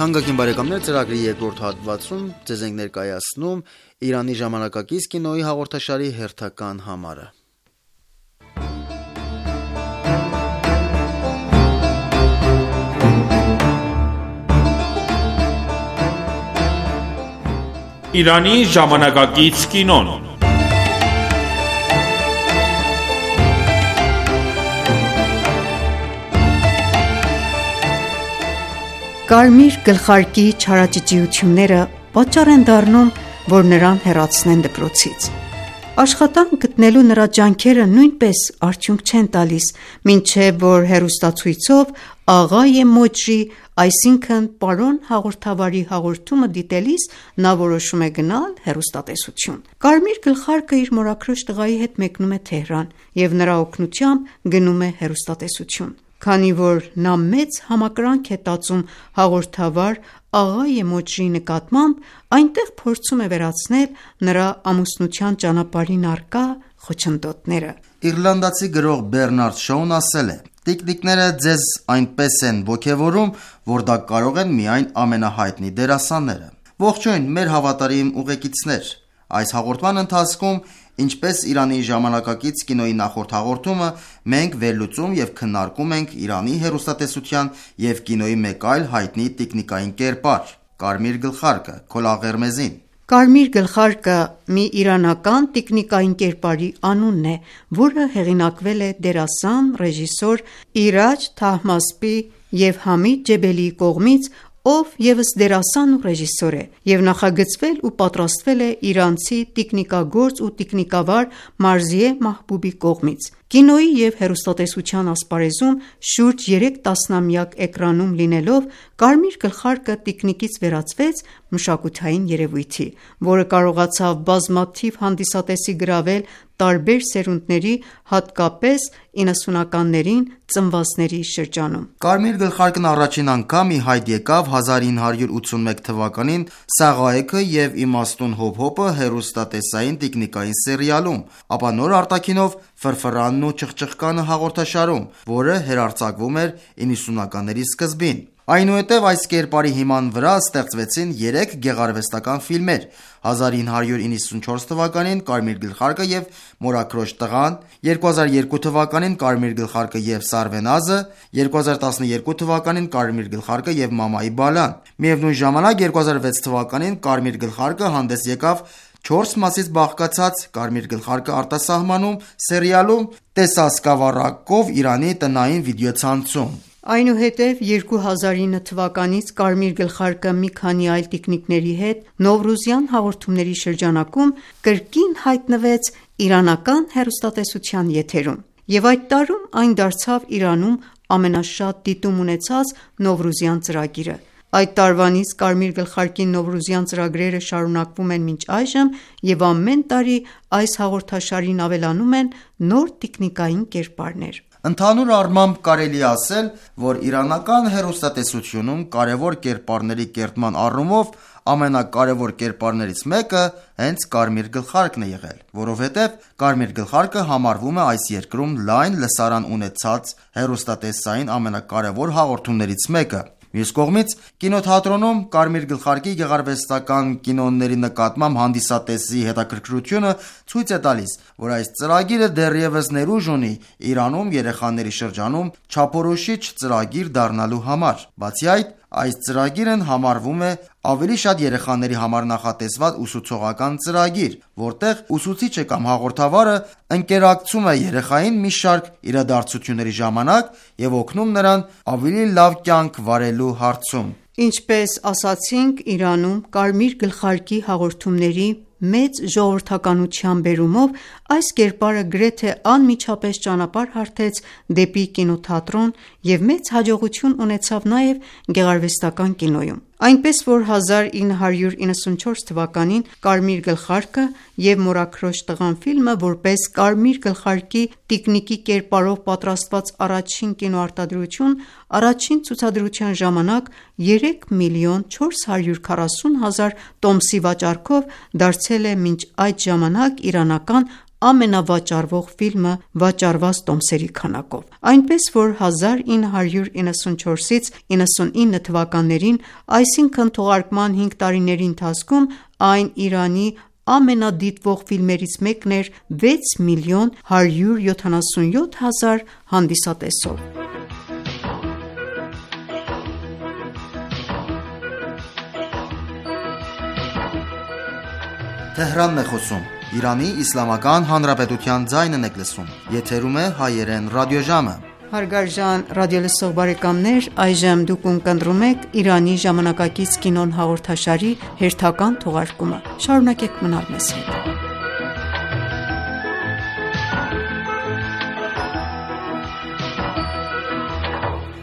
Թանկագին բարեկամներ, ծրագրի երկրորդ հատվածում ձեզ ենք ներկայացնում Իրանի ժամանակակից կինոյի հաղորդաշարի հերթական համարը։ Իրանի ժամանակակից կինոն։ Կարմիր գլխարկի չարաճճիությունները պատճառ են դառնում, որ նրան հեռացնեն դպրոցից։ Աշխատանք գտնելու նրա ջանքերը նույնպես արդյունք չեն տալիս, մինչև որ հեռուստացույցով Աղայե Մոջրի, այսինքն պարոն հաղորդավարի հաղորդումը դիտելիս նա որոշում է գնալ հեռուստատեսություն։ Կարմիր գլխարկը իր մորաքրոջ տղայի հետ մեկնում է Թեհրան և նրա օգնությամբ գնում է հեռուստատեսություն։ Քանի որ նա մեծ համակրանք է տածում հաղորդավար Աղայե Մոջրի նկատմամբ, այնտեղ փորձում է վերացնել նրա ամուսնության ճանապարհին առկա խոչընդոտները։ Իռլանդացի գրող Բեռնարդ Շոուն ասել է. «Տիկնիկները ձեզ այնպես են ոգևորում, որ դա կարող են միայն ամենահայտնի դերասանները»։ Ողջույն մեր հավատարիմ ուղեկիցներ, այս հաղորդման ընթացքում, ինչպես Իրանի ժամանակակից կինոյի նախորդ հաղորդումը, մենք վերլուծում և քննարկում ենք Իրանի հեռուստատեսության և կինոյի մեկ այլ հայտնի տիկնիկային կերպար՝ Կարմիր գլխարկը՝ Քոլաղերմեզին։ Կարմիր գլխարկը մի իրանական տիկնիկային կերպարի անունն է, որը հեղինակվել է դերասան, ռեժիսոր Իրաջ Թահմասպի և Համիդ Ջեբելիի կողմից, ով ևս դերասան ու ռեժիսոր է, և նախագծվել ու պատրաստվել է իրանցի տիկնիկագործ ու տիկնիկավար Մարզիե Մահբուբի կողմից։ Կինոյի և հեռուստատեսության ասպարեզում շուրջ երեք տասնամյակ էկրանում լինելով, Կարմիր գլխարկը տիկնիկից վերածվեց մշակութային երևույթի, որը կարողացավ բազմաթիվ հանդիսատեսի գրավել տարբեր սերունդների, հատկապես իննսունականներին ծնվածների շրջանում։ Կարմիր գլխարկն առաջին անգամ ի հայտ եկավ հազար ինը հարյուր ութսունմեկ թվականին Սաղայեքը և Իմաստուն Հոփ-Հոփը հեռուստատեսային տիկնիկային սերիալում, ապա նոր արտաքինով Ֆրֆրանն ու Չխչխկանը հաղորդաշարում, որը հեռարձակվում էր իննսունականների սկզբին։ Այնուհետև այս կերպարի հիման վրա ստեղծվեցին երեք գեղարվեստական ֆիլմեր՝ հազար ինը հարյուր իննսունչորս թվականին Կարմիր գլխարկը և Մորաքրոջ տղան, երկու հազար երկու թվականին Կարմիր գլխարկը և Սարվենազը, երկու հազար տասնյոթ թվականին Կարմիր գլխարկը և Մամայի բալան։ Միևնույն ժամանակ երկու հազար վեց թվականին Կարմիր գլխարկը հանդես եկավ չորս մասից բաղկացած Կարմիր գլխարկը արտասահմանում սերիալում «Տեսա սկավառակով Իրանի տնային վիդեոցանցում»։ Այնուհետև երկու հազար ինը թվականից Կարմիր գլխարկը մի քանի այլ տիկնիկների հետ Նովրուզյան հաղորդումների շրջանակում կրկին հայտնվեց իրանական հեռուստատեսության եթերում, և այդ տարում այն դարձավ Իրանում ամենաշատ դիտում ունեցած Նովրուզյան ծրագիրը։ Այդ տարվանից Կարմիր գլխարկի Նովրուզյան ծրագրերը շարունակվում են մինչ այժմ, և ամեն տարի այս հաղորդաշարին ավելանում են նոր տիկնիկային կերպարներ։ Ընդհանուր առմամբ կարելի է ասել, որ իրանական հեռուստատեսությունում կարևոր կերպարների կերտման առումով ամենակարևոր կերպարներից մեկը հենց Կարմիր գլխարկն է եղել, որովհետև Կարմիր գլխարկը համարվում է այս երկրում լայն լսարան ունեցած հեռուստատեսային ամենակարևոր հաղորդումներից մեկը։ Մյուս կողմից, կինոթատրոնում Կարմիր գլխարկի գեղարվեստական կինոների նկատմամբ հանդիսատեսի հետաքրքրությունը ցույց է տալիս, որ այս ծրագիրը դեռևս ներուժ ունի Իրանում երեխաների շրջանում չափորոշիչ ծրագիր դառնալու համար։ Բացի այդ, այս ծրագիրն համարվում է ավելի շատ երեխաների համար նախատեսված ուսուցողական ծրագիր, որտեղ ուսուցիչը կամ հաղորդավարը ընկերակցում է երեխային մի շարք իրադարձությունների ժամանակ և օգնում նրան ավելի լավ կյանք վարելու հարցում։ Ինչպես ասացինք, Իրանում Կարմիր գլխարկի հաղորդումների մեծ ժողովրդականության բերումով այս կերպարը գրեթե անմիջապես ճանապարհ հարթեց դեպի կինոթատրոն և մեծ հաջողություն ունեցավ նաև գեղարվեստական կինոյում։ Այնպես որ հազար ինը հարյուր իննսունչորս թվականին Կարմիր գլխարկը և Մորաքրոջ տղան ֆիլմը որպես Կարմիր գլխարկի տիկնիկի կերպարով պատրաստված առաջին կինոարտադրություն, առաջին ցուցադրության ժամանակ երեք միլիոն չորս հարյուր քառասուն հազար տոմսի վաճառքով դարձել է մինչ այդ ժամանակ իրանական ամենավաճառվող ֆիլմը վաճառված տոմսերի քանակով։ Այնպես որ հազար ինը հարյուր իննսունչորսից իննսունինը թվականներին, այսինքն թողարկման հինգ տարիների ընթացքում, այն Իրանի ամենադիտվող ֆիլմերից մեկն էր վեց միլիոն հարյուր յոթանասունյոթ հազար հանդիսատեսով։ Թեհրանն է խոսում, Իրանի Իսլամական Հանրապետության ձայնն եք լսում, եթերում է հայերեն ռադիոժամը։ Հարգարժան ռադիոլսող բարեկամներ, այժմ դուք ունկնդրում եք Իրանի ժամանակակից կինոն հաղորդաշարի հերթական թողարկումը։ Շարունակեք մնալ մեզ հետ։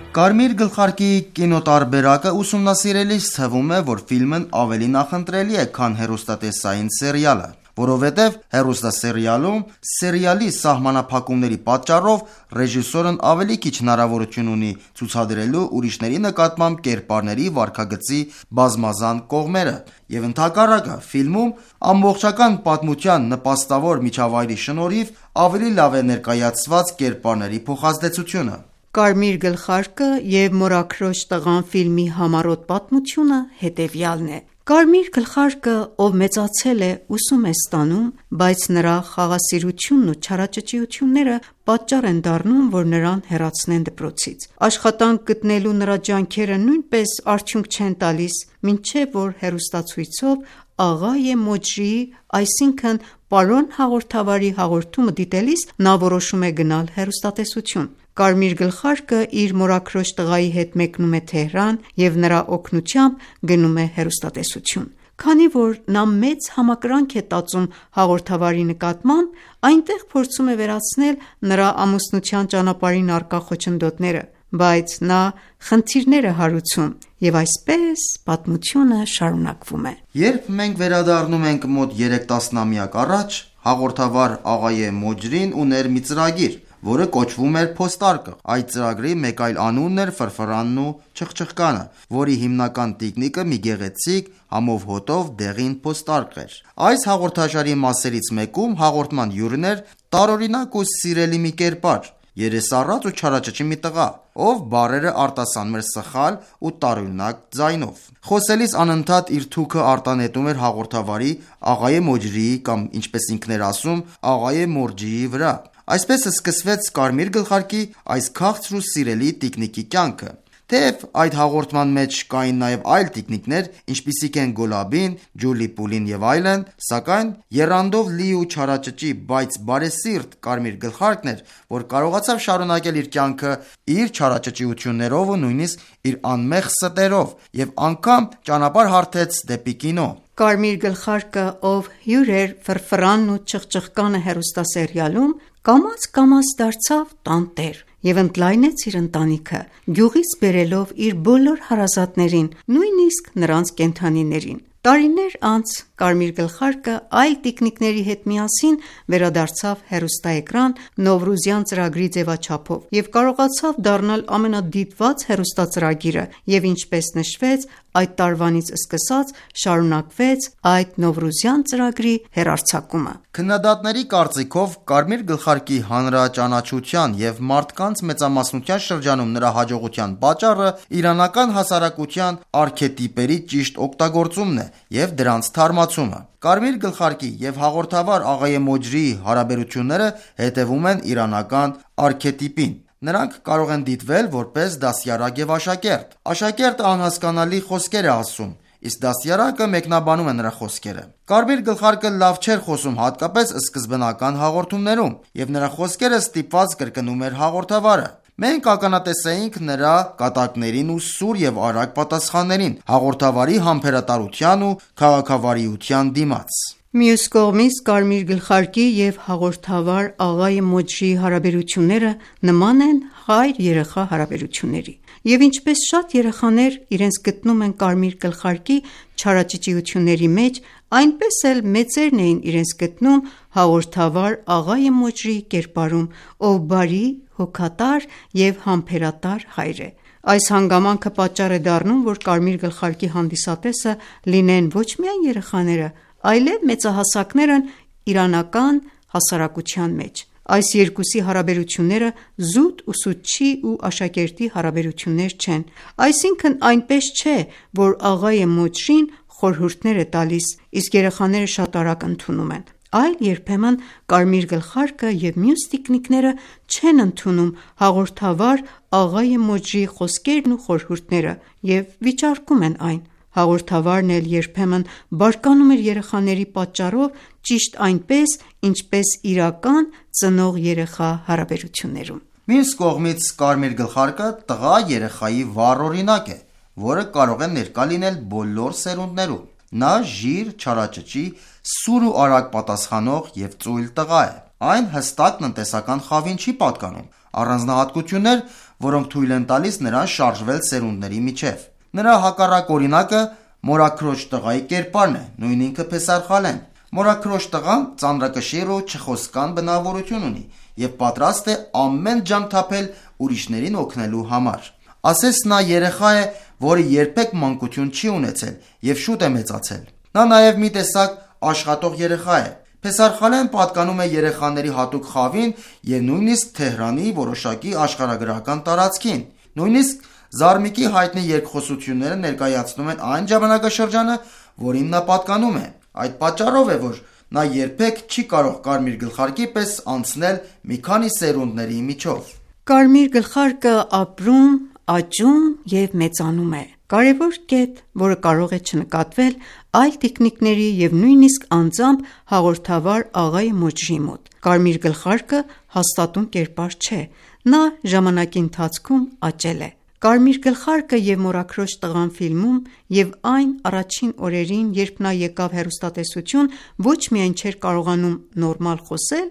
Կարմիր գլխարկի կինոտարբերակը ուսումնասիրելիս թվում է, որ ֆիլմն ավելի նախընտրելի է, քան հեռուստատեսային սերիալը, որովհետև հեռուստասերիալում սերիալի սահմանափակումների պատճառով ռեժիսորն ավելի քիչ հնարավորություն ունի ցուցադրելու ուրիշների նկատմամբ կերպարների վարքագծի բազմազան կողմերը, եւ ընդհակառակը ֆիլմում ամբողջական պատմության նպաստավոր միջավայրի շնորհիվ ավելի լավ է ներկայացված կերպարների փոխազդեցությունը։ Կարմիր գլխարկը և Մորաքրոջ տղան ֆիլմի համառոտ պատմությունը հետևյալն է։ Կարմիր գլխարկը, ով մեծացել է, ուսում է ստանում, բայց նրա խաղաղասիրությունն ու չարաճճիությունները պատճառ են դառնում, որ նրան հեռացնեն դպրոցից։ Աշխատանք գտնելու նրա ջանքերը նույնպես արդյունք չեն տալիս, մինչև որ հեռուստացույցով Աղայե Մոջրիի, այսինքն պարոն հաղորդավարի հաղորդումը դիտելիս նա որոշում է գնալ հեռուստատեսություն։ Կարմիր գլխարկը իր մորաքրոջ տղայի հետ մեկնում է Թեհրան և նրա օգնությամբ գնում է հեռուստատեսություն։ Քանի որ նա մեծ համակրանք է տածում հաղորդավարի նկատմամբ, այնտեղ փորձում է վերացնել նրա ամուսնության ճանապարհին առկա խոչընդոտները, բայց նա խնդիրներ է հարուցում, և այսպես պատմությունը շարունակվում է։ Երբ մենք վերադառնում ենք մոտ երեք տասնամյակ առաջ, հաղորդավար Աղայե Մոջրին ուներ մի ծրագիր, որը կոչվում էր Փոստարկղ։ Այդ ծրագրի մեկ այլ անունն էր Ֆրֆրանն ու Չխչխկանը, որի հիմնական տիկնիկը մի գեղեցիկ համով հոտով դեղին փոստարկղ էր։ Այս հաղորդաշարի մասերից մեկում հաղորդման հյուրն էր տարօրինակ ու սիրելի մի կերպար, երեսառած ու չարաճճի մի տղա, ով բառերը արտասանում էր սխալ ու տարօրինակ ձայնով։ Խոսելիս անընդհատ իր թուքը արտանետում էր հաղորդավարի Աղայե Մոջրիի կամ ինչպես ինքն էր ասում Աղայե Մորջիի վրա։ Այսպես սկսվեց Կարմիր գլխարկի այս քաղցր ու սիրելի տիկնիկի կյանքը։ Թեև այդ հաղորդման մեջ կային նաև այլ տիկնիկներ, ինչպիսիք են Գոլաբին, Ջուլի-Պուլին և այլն, սակայն եռանդով լի ու չարաճճի, բայց բարեսիրտ Կարմիր գլխարկն էր, որ կարողացավ շարունակել իր կյանքը իր չարաճճիություններով ու նույնիսկ իր անմեղ ստերով և անգամ ճանապարհ հարթեց դեպի կինո։ Կարմիր գլխարկը, ով հյուր էր Ֆրֆրանն ու Չխչխկանը հեռուստասերիալում, կամաց-կամաց դարձավ տանտեր և ընդլայնեց իր ընտանիքը, գյուղից բերելով իր բոլոր հարազատներին, նույնիսկ նրանց կենդանիներին։ Տարիներ անց Կարմիր գլխարկը այլ տիկնիկների հետ միասին վերադարձավ հեռուստաէկրան Նովրուզյան ծրագրի ձևաչափով և կարողացավ դառնալ ամենադիտված հեռուստածրագիրը, և ինչպես նշվեց, այդ տարվանից սկսած շարունակվեց այդ Նովրուզյան ծրագրի հեռարձակումը։ Քննադատների կարծիքով Կարմիր գլխարկի հանրաճանաչության և մարդկանց մեծամասնության շրջանում նրա հաջողության պատճառը իրանական հասարակության արքետիպերի ճիշտ օգտագործումն է և դրանց թարմացումը։ Կարմիր գլխարկի և հաղորդավար Աղայե Մոջրիի հարաբերությունները հետևում են իրանական արքետիպին։ Նրանք կարող են դիտվել որպես դաստիարակ և աշակերտ։ Աշակերտը անհասկանալի խոսքեր է ասում, իսկ դաստիարակը մեկնաբանում է նրա խոսքերը։ Կարմիր գլխարկը լավ չէր խոսում հատկապես սկզբնական հաղորդումներում, և նրա խոսքերը ստիպված կրկնում էր հաղորդավարը։ Մենք ականատես էինք նրա կատակներին ու սուր և արագ պատասխաններին հաղորդավարի համբերատարության ու քաղաքավարիության դիմաց։ Մյուս կողմից Կարմիր գլխարկի և հաղորդավար Աղայե Մոջրիի հարաբերությունները նման են հայր-երեխա հարաբերությունների, և ինչպես շատ երեխաներ իրենց գտնում են Կարմիր գլխարկի չարաճճիությունների մեջ, այնպես էլ մեծերն էին իրենց գտնում հաղորդավար Աղայե Մոջրիի կերպարում, ով բարի, հոգատար և համբերատար հայր է։ Այս հանգամանքը պատճառ է դառնում, որ Կարմիր գլխարկի հանդիսատեսը լինեն ոչ միայն երեխաները, այլև մեծահասակներն իրանական հասարակության մեջ։ Այս երկուսի հարաբերությունները զուտ ուսուցչի ու աշակերտի հարաբերություններ չեն, այսինքն այնպես չէ, որ Աղայե Մոջրին խորհուրդներ է տալիս, իսկ երեխաները շատ արագ ընդունում են, այլ երբեմն Կարմիր գլխարկը և մյուս տիկնիկները չեն ընդունում հաղորդավար Աղայե Մոջրիի խոսքերն ու խորհուրդները և վիճարկում են այն։ Հաղորդավարն էլ երբեմն բարկանում էր երեխաների պատճառով ճիշտ այնպես, ինչպես իրական ծնող-երեխա հարաբերություններում։ Մյուս կողմից Կարմիր գլխարկը տղա երեխայի վառ օրինակ է, որը կարող է ներկա լինել բոլոր սերունդներում։ Նա ժիր, չարաճճի, սուր ու արագ պատասխանող և ծույլ տղա է։ Այն հստակ տնտեսական խավին չի պատկանում։ Առանձնահատկություններ, որոնք թույլ են տալիս նրան շարժվել սերունդների միջև։ Նրա հակառակ օրինակը մորաքրոջ տղայի կերպարն է, նույն ինքը Փեսարխալեն։ Մորաքրոջ տղան ծանրակշիռ ու չխոսկան բնավորություն ունի եւ պատրաստ է ամեն ջանք թափել ուրիշներին օգնելու համար։ Ասես նա երեխա է, որը երբեք մանկություն չի ունեցել եւ շուտ է մեծացել։ Նա նաեւ մի տեսակ աշխատող երեխա է։ Փեսարխալեն պատկանում է երեխաների հատուկ խավին եւ նույնիսկ Թեհրանի որոշակի աշխարհագրական տարածքին։ Նույնիսկ Զարմիկի հայտնի երկխոսությունները ներկայացնում են այն ժամանակաշրջանը, որին նա պատկանում է։ Այդ պատճառով է, որ նա երբեք չի կարող կարմիր գլխարկի պես անցնել մի քանի սերունդների միջով։ Կարմիր գլխարկը ապրում, աճում եւ մեծանում է։ Կարևոր կետ, որը կարող է չնկատվել այլ տիկնիկների եւ նույնիսկ անձամբ հաղորդավար աղայի Մոջրի մոտ։ Կարմիր գլխարկը հաստատուն կերպար չէ, նա ժամանակի ընթացքում աճել է։ Կարմիր գլխարկը եւ Մորաքրոջ տղան ֆիլմում եւ այն առաջին օրերին, երբ նա եկավ հեռուստատեսություն, ոչ միայն չէր կարողանում նորմալ խոսել,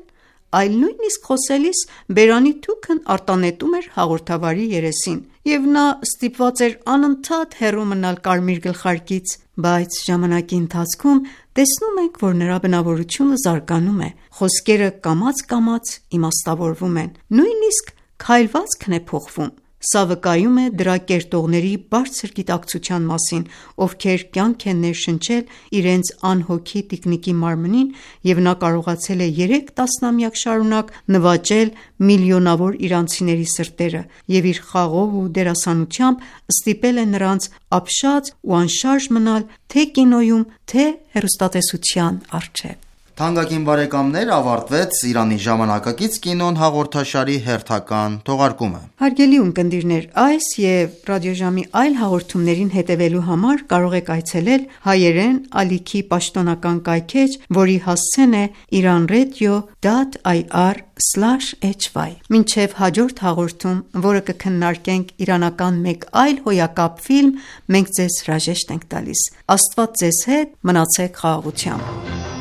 այլ նույնիսկ խոսելիս բերանի թուքն արտանետում էր հաղորդավարի երեսին, եւ նա ստիպված էր անընդհատ հեռու մնալ կարմիր գլխարկից, բայց ժամանակի ընթացքում տեսնում ենք, որ նրա բնավորությունը զարգանում է, խոսքերը կամաց-կամաց իմաստավորվում են, նույնիսկ քայլվածքն է փոխվում։ Սա վկայում է դրա կերտողների բարձր գիտակցության մասին, ովքեր կյանք են ներշնչել իրենց անհոգի տիկնիկի մարմնին, եւ նա կարողացել է երեք տասնամյակ շարունակ նվաճել միլիոնավոր իրանցիների սրտերը եւ իր խաղով ու դերասանությամբ ստիպել է նրանց ապշած ու անշարժ մնալ թե կինոյում, թե հեռուստատեսության առջև։ Թանկագին բարեկամներ, ավարտվեց Իրանի ժամանակակից կինոն հաղորդաշարի հերթական թողարկումը։ Հարգելի ունկնդիրներ, այս եւ ռադիոժամի այլ հաղորդումներին հետևելու համար կարող եք այցելել հայերեն ալիքի պաշտոնական կայքէջ, որի հասցեն է iranradio dot i r slash h y։ Մինչև հաջորդ հաղորդում, որը կքննարկենք իրանական մեկ այլ հոյակապ ֆիլմ, մենք ձեզ հրաժեշտ ենք տալիս։ Աստված ձեզ հետ, մնացեք խաղաղությամբ։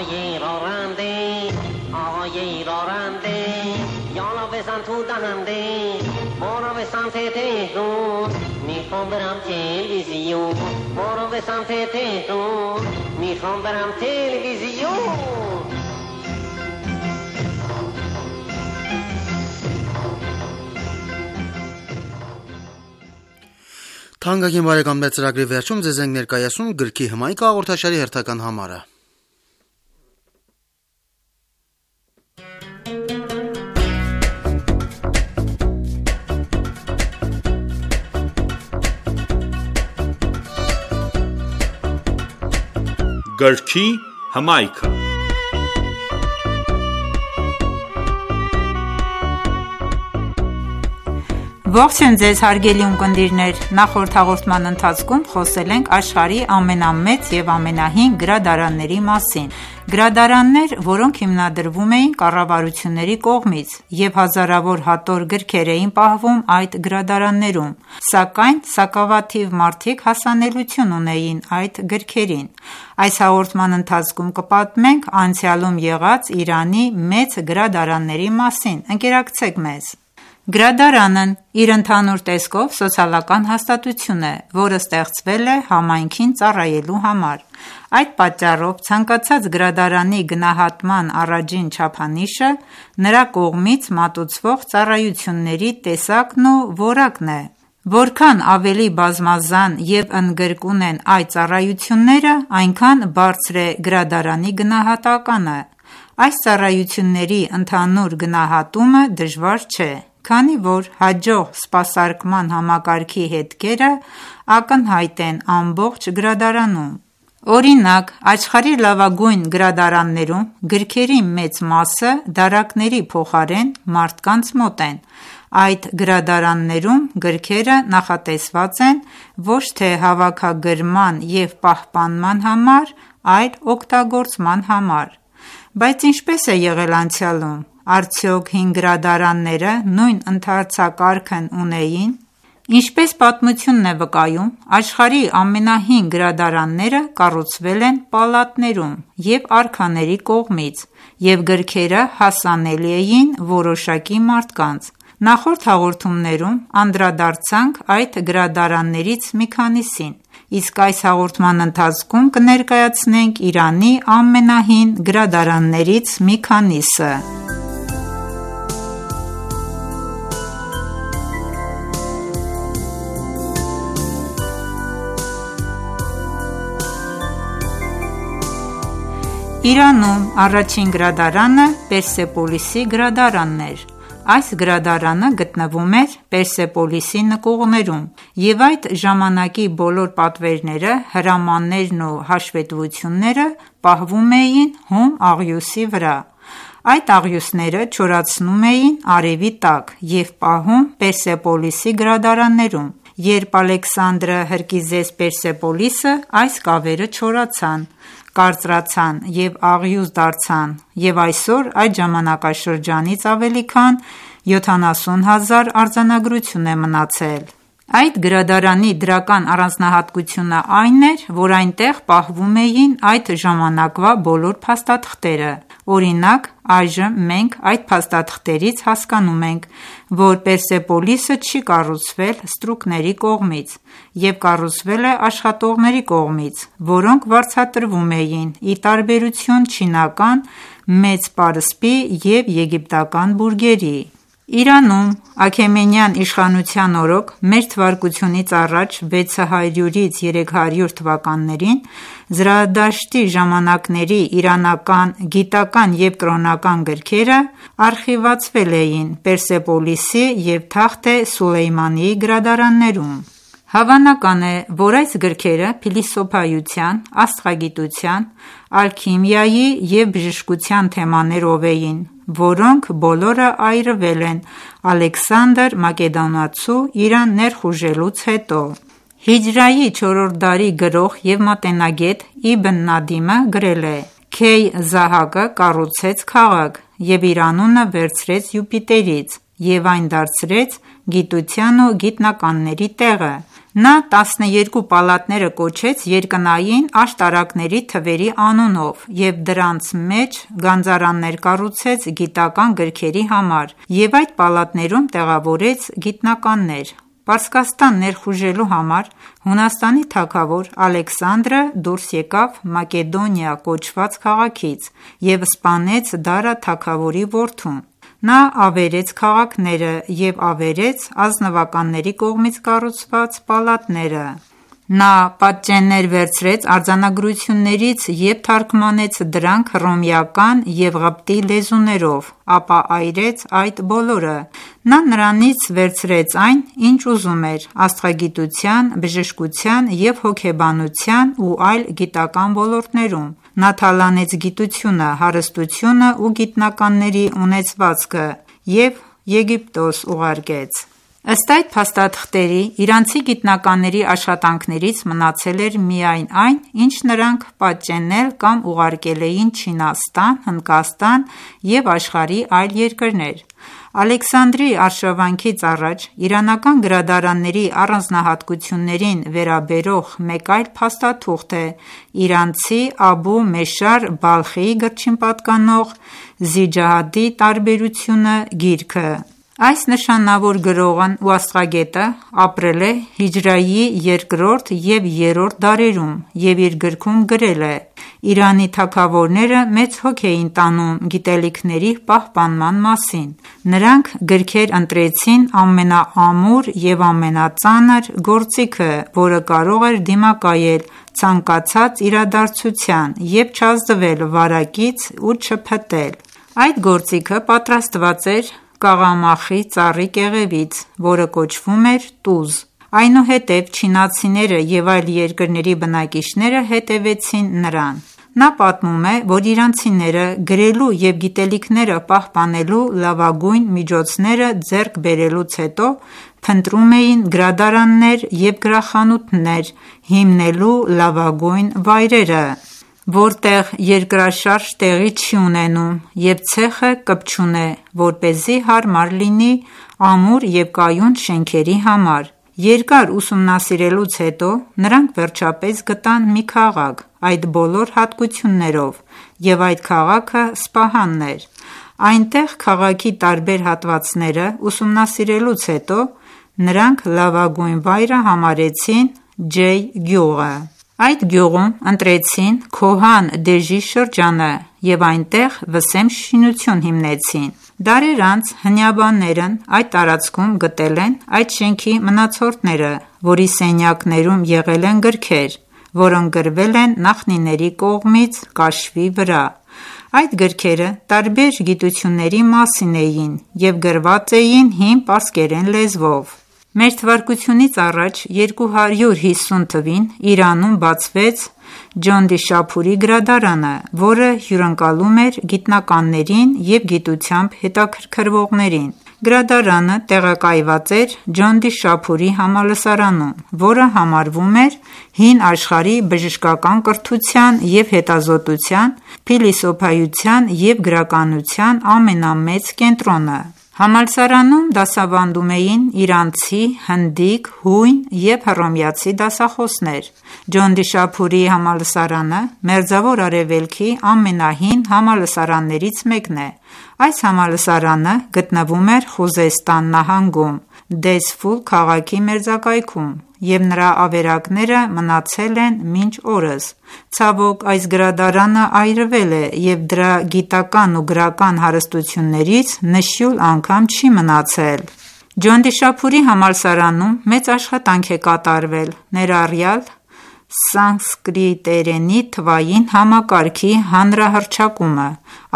آقای راننده آقای راننده یالا بزن تو دهنده ما رو به سمت تهرون میخوام برم تلویزیون ما رو به سمت تهرون میخوام برم تلویزیون Թանկագին բարեկամներ, ծրագրի վերջում ձեզ ենք ներկայացնում գրքի հմայք հաղորդաշարի հերթական համարը։ Գրքի հմայքը։ Ողջույն ձեզ հարգելի ունկնդիրներ, նախորդ հաղորդման ընթացքում խոսել ենք աշխարհի ամենամեծ եւ ամենահին գրադարանների մասին։ Գրադարաններ, որոնք հիմնադրվում էին կառավարությունների կողմից եւ հազարավոր հատոր գրքեր էին պահվում այդ գրադարաններում, սակայն սակավաթիվ մարդիկ հասանելիություն ունեին այդ գրքերին։ Այս հաղորդման ընթացքում կպատմենք անցյալում եղած Իրանի մեծ գրադարանների մասին։ Ընկերակցեք մեզ։ Գրադարանն իր ընդհանուր տեսքով սոցիալական հաստատություն է, որը ստեղծվել է համայնքին ծառայելու համար։ Այդ պատճառով ցանկացած գրադարանի գնահատման առաջին չափանիշը նրա կողմից մատուցվող ծառայությունների տեսակն ու որակն է։ Որքան ավելի բազմազան եւ ընդգրկուն են այդ ծառայությունները, այնքան բարձր է գրադարանի գնահատականը։ Այս ծառայությունների ընդհանուր գնահատումը դժվար չէ, քանի որ հաջող սպասարկման համակարգի հետքերը ակնհայտ են ամբողջ գրադարանում։ Օրինակ, աշխարհի լավագույն գրադարաններում գրքերի մեծ մասը դարակների փոխարեն մարդկանց մոտ են։ Այդ գրադարաններում գրքերը նախատեսված են ոչ թե հավաքագրման և պահպանման համար, այլ օգտագործման համար։ Բայց ինչպես է եղել անցյալում։ Արդյոք հին գրադարանները նույն ընթացակարգն ունեին: Ինչպես պատմությունն է վկայում, աշխարհի ամենահին գրադարանները կառուցվել են պալատներում և արքաների կողմից, և գրքերը հասանելի էին որոշակի մարդկանց: Նախորդ հաղորդումներում անդրադարձանք այդ գրադարաններից մի քանիսին, իսկ այս հաղորդման ընթացքում կներկայացնենք Իրանի ամենահին գրադարաններից մի քանիսը: Իրանում առաջին գրադարանը Պերսեպոլիսի գրադարանն էր: Այս գրադարանը գտնվում էր Պերսեպոլիսի նկուղներում և այդ ժամանակի բոլոր պատվերները, հրամաններն ու հաշվետվությունները պահվում էին հում աղյուսի վրա: Այդ աղյուսները չորացնում էին արևի տակ և պահում Պերսեպոլիսի գրադարաններում: Երբ Ալեքսանդրը հրկիզեց Պերսեպոլիսը, այս կավերը չորացան, կարծրացան և աղյուս դարձան և այսօր այդ ժամանակաշրջանից ավելի քան յոթանասուն հազար արձանագրություն է մնացել: Այդ գրադարանի դրական առանձնահատկությունը այն էր, որ այնտեղ պահվում էին այդ ժամանակվա բոլոր փաստաթղթերը: Օրինակ, այժմ մենք այդ փաստաթղթերից հասկանում ենք, որ Պերսեպոլիսը չի կառուցվել ստրուկների կողմից և կառուցվել է աշխատողների կողմից, որոնք վարձատրվում էին ի տարբերություն չինական մեծ պարսպի և եգիպտական բուրգերի: Իրանում Աքեմենյան իշխանության օրոք մ.թ.ա. վեցահարյուրից երեք հարյուր թվականներին Զրադաշտի ժամանակների իրանական գիտական և կրոնական գրքերը արխիվացվել էին Պերսեպոլիսի և Թախթ Սուլեյմանիի գրադարաններում: Հավանական է, որ այս գրքերը փիլիսոփայության, աստղագիտության, ալքիմիայի և բժշկության թեմաներով էին, որոնք բոլորը այրվել են Ալեքսանդր Մակեդոնացու Իրան ներխուժելուց հետո: Հիջրայի չորրորդ դարի գրող և մատենագետ Իբն Նադիմը գրել է. «Քեյ Զահակը կառուցեց քաղաք և իր անունը վերցրեց Յուպիտերից և այն դարձրեց գիտության ու գիտնականների տեղը: Նա տասներկու պալատները կոչեց երկնային աշտարակների թվերի անունով և դրանց մեջ գանձարաններ կառուցեց գիտական գրքերի համար և այդ պալատներում տեղավորեց գիտնականներ: Պարսկաստան ներխուժելու համար Հունաստանի թագավոր Ալեքսանդրը դուրս եկավ Մակեդոնիա կոչված քաղաքից և սպանեց Դարա թագավորի որդուն: Նա ավերեց քաղաքները և ավերեց ազնվականների կողմից կառուցված պալատները: Նա պատճեններ վերցրեց արձանագրություններից և թարգմանեց դրանք հռոմեական և ղպտի լեզուներով, ապա այրեց այդ բոլորը: Նա նրանից վերցրեց այն, ինչ ուզում էր աստղագիտության, բժշկության և հոգեբանության ու այլ գիտական ոլորտներում: Նա թալանեց գիտությունը, հարստությունը ու գիտնականների ունեցվածքը և Եգիպտոս ուղարկեց: Ըստ այդ փաստաթղթերի, իրանցի գիտնականների աշխատանքներից մնացել էր միայն այն, ինչ նրանք պատճենել կամ ուղարկել էին Չինաստան, Հնդկաստան և աշխարհի այլ երկրներ: Ալեքսանդրի արշավանքից առաջ իրանական գրադարանների առանձնահատկություններին վերաբերող մեկ այլ փաստաթուղթ է իրանցի Աբու Մեշար Բալխիի գրչին պատկանող «Զիջադի տարբերությունը» գիրքը: Այս նշանավոր գրողն ու աստղագետը ապրել է հիջրեթի երկրորդ և երրորդ դարերում և իր գրքում գրել է. «Իրանի թագավորները մեծ հոգ էին տանում գիտելիքների պահպանման մասին: Նրանք գրքեր ընտրեցին ամենաամուր և ամենածանր գործիքը, որը կարող էր դիմակայել ցանկացած իրադարձության և չազդվել վարակից ու չփտել: Այդ գործիքը պատրաստված էր կաղամախի ծառի կեղևից, որը կոչվում էր տուզ: Այնուհետև չինացիները և այլ երկրների բնակիչները հետևեցին նրան»: Նա պատմում է, որ իրանցիները գրելու և գիտելիքները պահպանելու լավագույն միջոցները ձեռք բերելուց հետո փնտրում էին գրադարաններ և գրախանութներ հիմնելու լավագույն վայրերը: որտեղ երկրաշարժ տեղի չի ունենում և ցեխը կպչուն է, որպեսզի հարմար լինի ամուր և կայուն շենքերի համար։ Երկար ուսումնասիրելուց հետո նրանք վերջապես գտան մի քաղաք այդ բոլոր հատկություններով, և այդ քաղաքը Սպահանն էր։ Այնտեղ քաղաքի տարբեր հատվածները ուսումնասիրելուց հետո նրանք լավագույն վայրը համարեցին Ջեյ գյուղը։ Այդ գյուղում ընտրեցին Քոհան Դեժի շրջանը և այնտեղ վսեմ շինություն հիմնեցին։ Դարեր անց հնյաբաններն այդ տարածքում գտել են այդ շենքի մնացորդները, որի սենյակներում եղել են գրքեր, որոնք գրվել են նախնիների կողմից կաշվի վրա։ Այդ գրքերը տարբեր գիտությունների մասին էին և գրված էին հին պարսկերեն լեզվով։ Մեր թվարկությունից առաջ երկու հարյուր հիսուն թվին Իրանում բացվեց Ջոնդիշափուրի գրադարանը, որը հյուրընկալում էր գիտնականներին և գիտությամբ հետաքրքրվողներին։ Գրադարանը տեղակայված էր Ջոնդիշափուրի համալսարանում, որը համարվում էր հին աշխարհի բժշկական կրթության և հետազոտության, փիլիսոփայության և գրականության ամենամեծ կենտրոնը։ Համալսարանում դասավանդում էին իրանցի, հնդիկ, հույն և հռոմեացի դասախոսներ։ Ջոնդիշափուրի համալսարանը Մերձավոր Արևելքի ամենահին համալսարաններից մեկն է։ Այս համալսարանը գտնվում էր Խուզեստան նահանգում, Դեզֆուլ քաղաքի մերձակայքում, և նրա ավերակները մնացել են մինչ օրս։ Ցավոք, այս գրադարանը այրվել է և դրա գիտական ու գրական հարստություններից նշյուլ անգամ չի մնացել։ Ջոնդիշափուրի համալսարանում մեծ աշխատանք է կատարվել, ներառյալ սանսկրիտերենի թվային համակարգի հանրահռչակումը։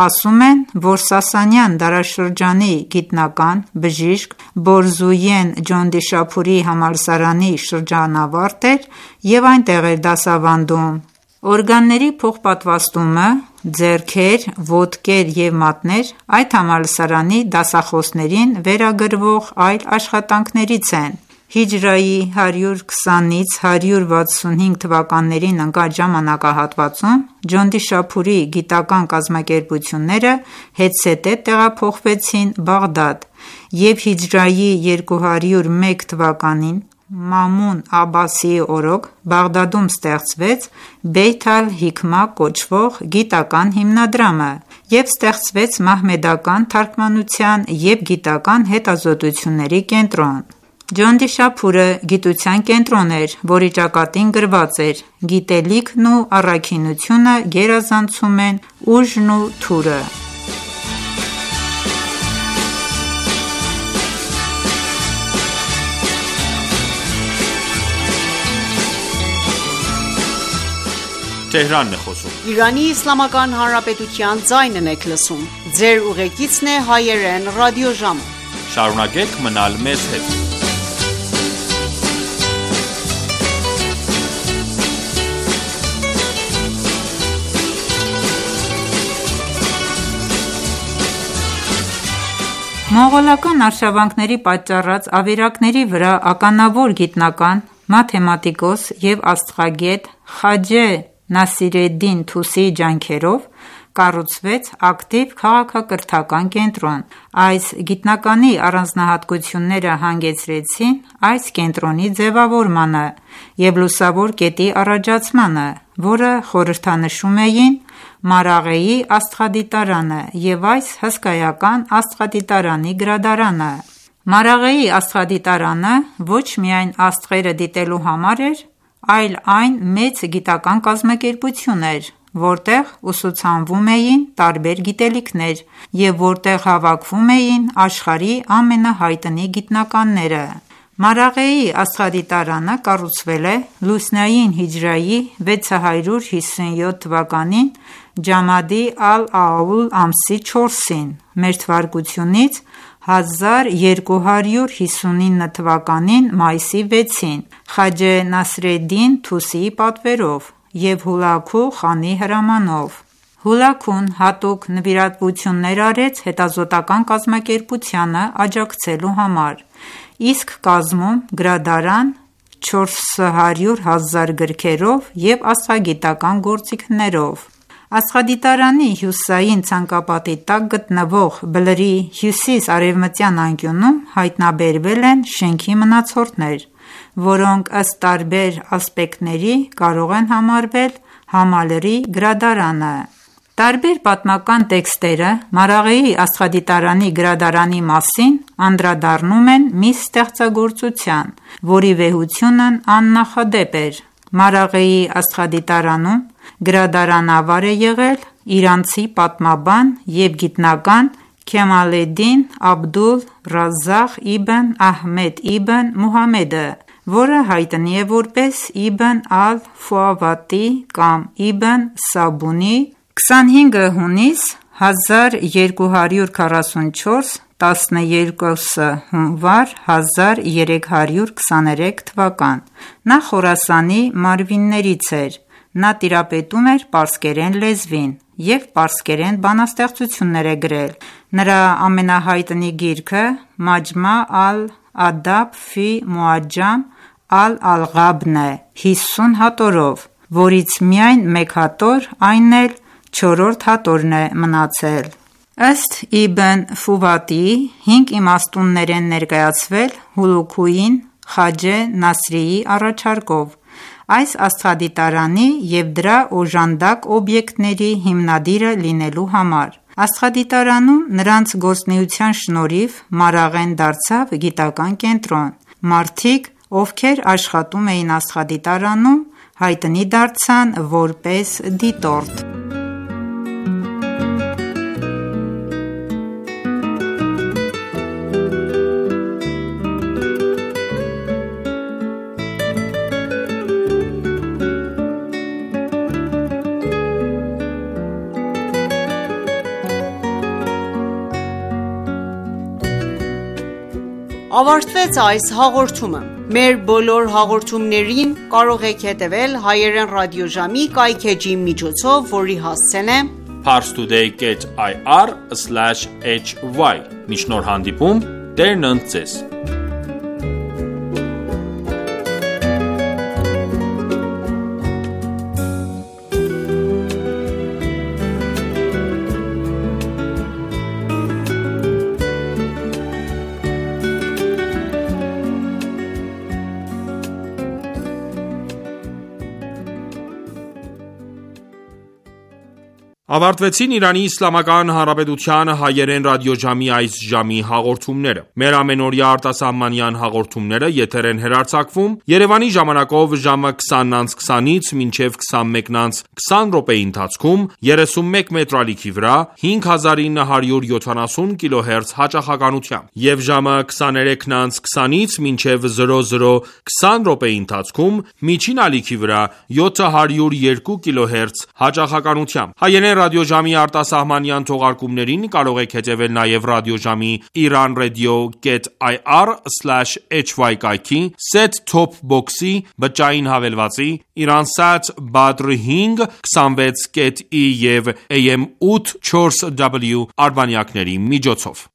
Ասում են, որ Սասանյան դարաշրջանի գիտնական, բժիշկ Բորզույեն Ջոնդիշափուրի համալսարանի շրջանավարտ էր և այնտեղ էր դասավանդում։ Օրգանների փոխպատվաստումը, ձեռքեր, ոտքեր և մատներ այդ համալսարանի դասախոսներին վերագրվող այլ աշխատանքներից են։ Հիջրայի հարյուր քսանից հարյուր վաթսունհինգ թվականներին ընկած ժամանակահատվածում Ջոնդիշափուրի գիտական կազմակերպությունները հետզհետե տեղափոխվեցին Բաղդադ, և հիջրայի երկու հարյուր մեկ թվականին Մամուն Աբասիի օրոք Բաղդադում ստեղծվեց Բեյթ ալ-Հիքմա կոչվող գիտական հիմնադրամը և ստեղծվեց մահմեդական թարգմանության և գիտական հետազոտությունների կենտրոն։ Ջոնդիշափուրը գիտության կենտրոն էր, որի ճակատին գրված էր. «Գիտելիքն ու առաքինությունը գերազանցում են ուժն ու թուրը»։ Շարունակեք մնալ մեզ հետ։ Մոնղոլական արշավանքների պատճառած ավերակների վրա ականավոր գիտնական, մաթեմատիկոս և աստղագետ Խաջե Նասիրեդդին Թուսիի ջանքերով կառուցվեց ակտիվ քաղաքակրթական կենտրոն։ Այս գիտնականի առանձնահատկությունները հանգեցրին այս կենտրոնի ձևավորմանը և լուսավոր կետի առաջացմանը, որը խորհրդանշում էին Մարաղեի աստղադիտարանը և այս հսկայական աստղադիտարանի գրադարանը։ Մարաղեի աստղադիտարանը ոչ միայն աստղերը դիտելու համար էր, այլ այն մեծ գիտական կազմակերպություն էր, որտեղ ուսուցանվում էին տարբեր գիտելիքներ և որտեղ հավաքվում էին աշխարհի ամենահայտնի գիտնականները։ Մարաղեի աստղադիտարանը կառուցվել է լուսնային հիջրեթի վեցը հարյուր հիսունյոթ թվականին ջամադի ալ-աուլ ամսի չորսին, մեր թվարկությունից հազար երկու հարյուր հիսունինը թվականին մայիսի վեցին, Խաջե Նասիրեդդին Թուսիի պատվերով և Հուլագու խանի հրամանով։ Հուլագուն հատուկ նվիրատվություններ արեց հետազոտական կազմակերպությանը աջակցելու համար, իսկ կազմում գրադարան, չորս հարյուր հազար գրքերով և աստղագիտական գործիքներով։ Աստղադիտարանի հյուսիսային ցանկապատի տակ գտնվող բլրի հյուսիս-արևմտյան անկյունում հայտնաբերվել են շենքի մնացորդներ, որոնք ըստ տարբեր ասպեկտների կարող են համարվել համալրի գրադարանը։ Տարբեր պատմական տեքստերը Մարաղեի աստղադիտարանի գրադարանի մասին անդրադառնում են մի ստեղծագործության, որի վեհությունն աննախադեպ էր։ Մարաղեի աստղադիտարանում գրադարանավար է եղել իրանցի պատմաբան և գիտնական Քեմալեդդին Աբդուլ Ռազաղ Իբն Ահմեդ Իբն Մուհամմեդը, որը հայտնի է որպես Իբն ալ-Ֆուավատի կամ Իբն Սաբունի, քսանհինգ հունիս հազար երկու հարյուր քառասունչորս, տասներկուս հունվար հազար երեք հարյուր քսաներեք թվական։ Նա Խորասանի մարվիններից էր։ Նա տիրապետում էր պարսկերեն լեզվին և պարսկերեն բանաստեղծություններ է գրել։ Նրա ամենահայտնի գիրքը Մաջմա ալ-Ադաբ ֆի Մուաջամ ալ-Ալղաբն է, հիսուն հատորով, որից միայն մեկ հատոր, այն էլ չորրորդ հատորն է մնացել։ Ըստ Իբն Ֆուվատիի, հինգ իմաստուններ են ներկայացվել Հուլուքույին Խաջե Նասրիի առաջարկով այս աստղադիտարանի և դրա օժանդակ օբյեկտների հիմնադիրը լինելու համար։ Աստղադիտարանում նրանց գործունեության շնորհիվ Մարաղեն դարձավ գիտական կենտրոն։ Մարդիկ, ովքեր աշխատում էին աստղադիտարանում, հայտնի դարձան որպես դիտորդ։ Ավարտվեց այս հաղորդումը։ Մեր բոլոր հաղորդումներին կարող եք հետևել հայերեն ռադիոժամի կայքէջի միջոցով, որի հասցեն է parstoday dot i r slash h y։ Մինչ նոր հանդիպում, Տերն ընդ ձեզ։ Ավարտվեցին Իրանի Իսլամական Հանրապետության հայերեն ռադիոժամի այս ժամի հաղորդումները։ Մեր ամենօրյա արտասահմանյան հաղորդումները եթեր են հեռարձակվում Երևանի ժամանակով ժամը քսանից քսանից մինչև քսանմեկից քսան րոպեի ընթացքում երեսունմեկ մետրալիքի վրա հինգ հազար ինը հարյուր յոթանասուն կիլոհերց հաճախականությամբ և ժամը քսաներեքից քսանից մինչև զրո զրո քսան րոպեի ընթացքում միջին ալիքի վրա յոթ հարյուր երկու կիլոհերց հաճախականությամբ։ Հայերեն ռադիոժամի արտասահմանյան թողարկումներին կարող եք հետևել նաև ռադիոժամի iranradio dot i r slash h y կայքի, set-top box-ի, բջջային հավելվածի, Iransat Badr հինգ քսանվեց կետ ի և A M ութ չորս W արբանյակների միջոցով։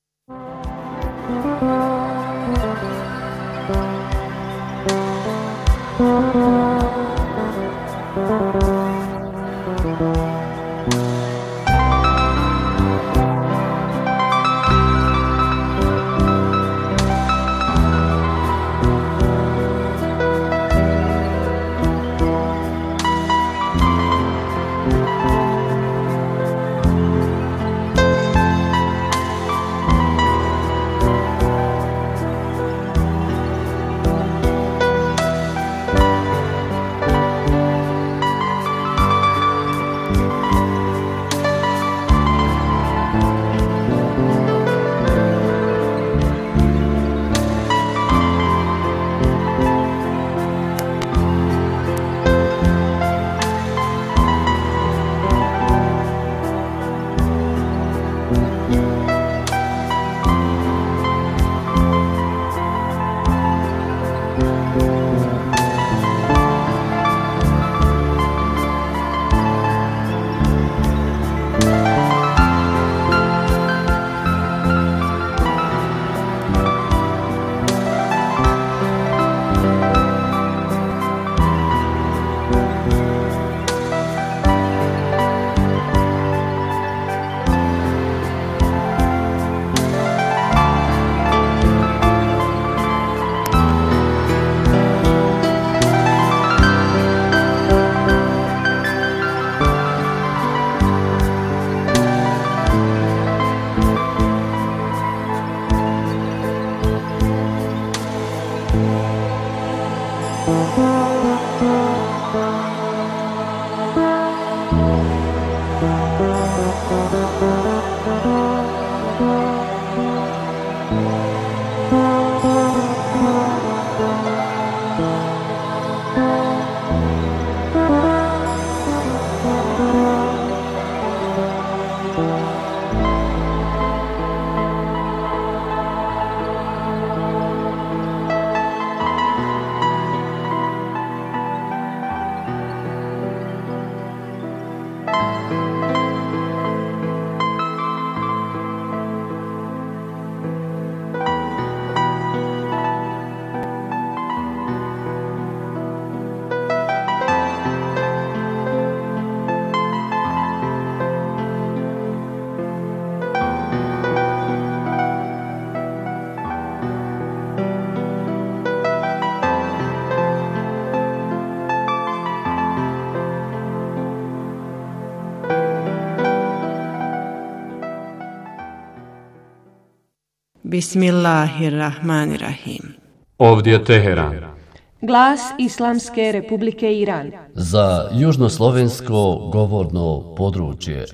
Bismillahirrahmanirrahim. Ovdje Teheran. Glas Islamske Republike Iran. Za južnoslovensko govorno područje.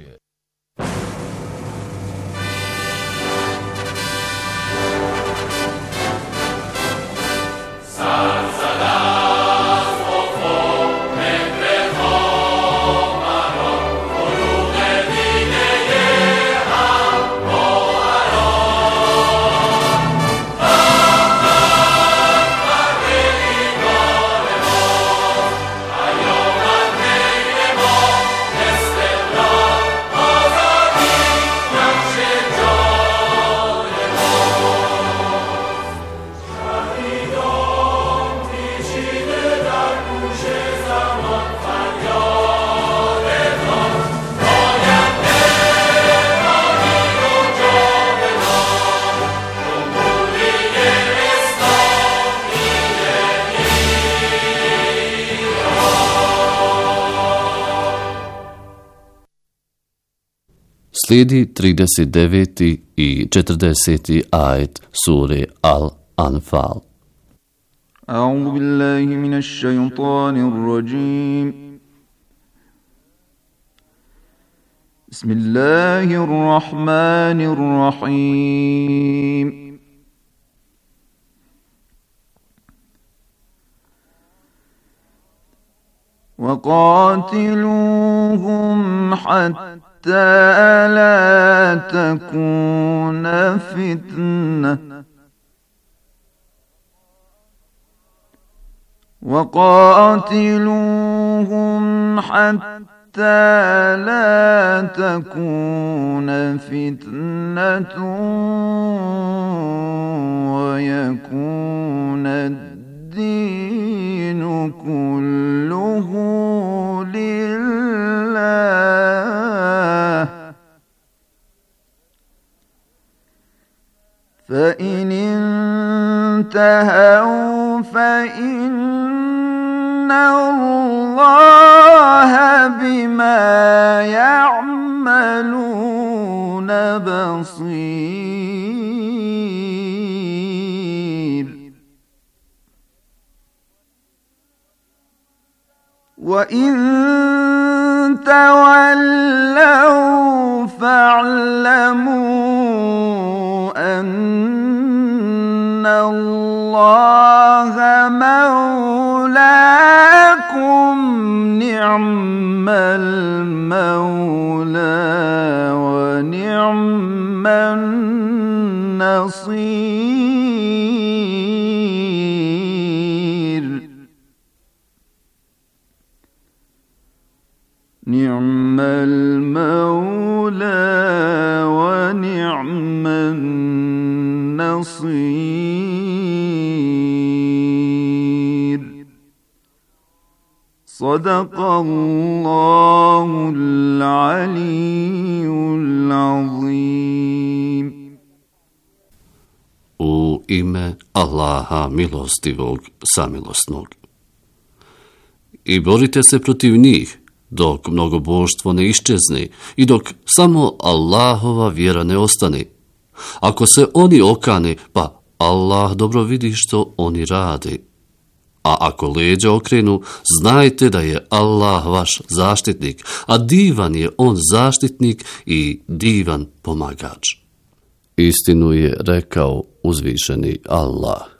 Slijedi trideset deveti i četrdeseti ajet sure Al-Anfal. A'udhu billahi minash shaytanir rajim. Bismillahir rahmanir rahim. وقاتلوهم حتى حتى لا تكون فتنة وقاتلوهم حتى لا تكون فتنة ويكون الدين كله لله فإن انتهوا فإن الله بما يعملون بصير وإن تولوا فاعلموا أن الله مولاكم نعم المولى ونعم النصير نعم المولى ونعم النصير صدق الله العلي العظيم. U ime Allaha milostivog, samilosnog. I borite se protiv njih, dok mnogoboštvo ne iščezne i dok samo Allahova vjera ne ostane. Ako se oni okane, pa Allah dobro vidi što oni rade. A ako leđa okrenu, znajte da je Allah vaš zaštitnik, a divan je on zaštitnik i divan pomagač. Istinu je rekao uzvišeni Allah.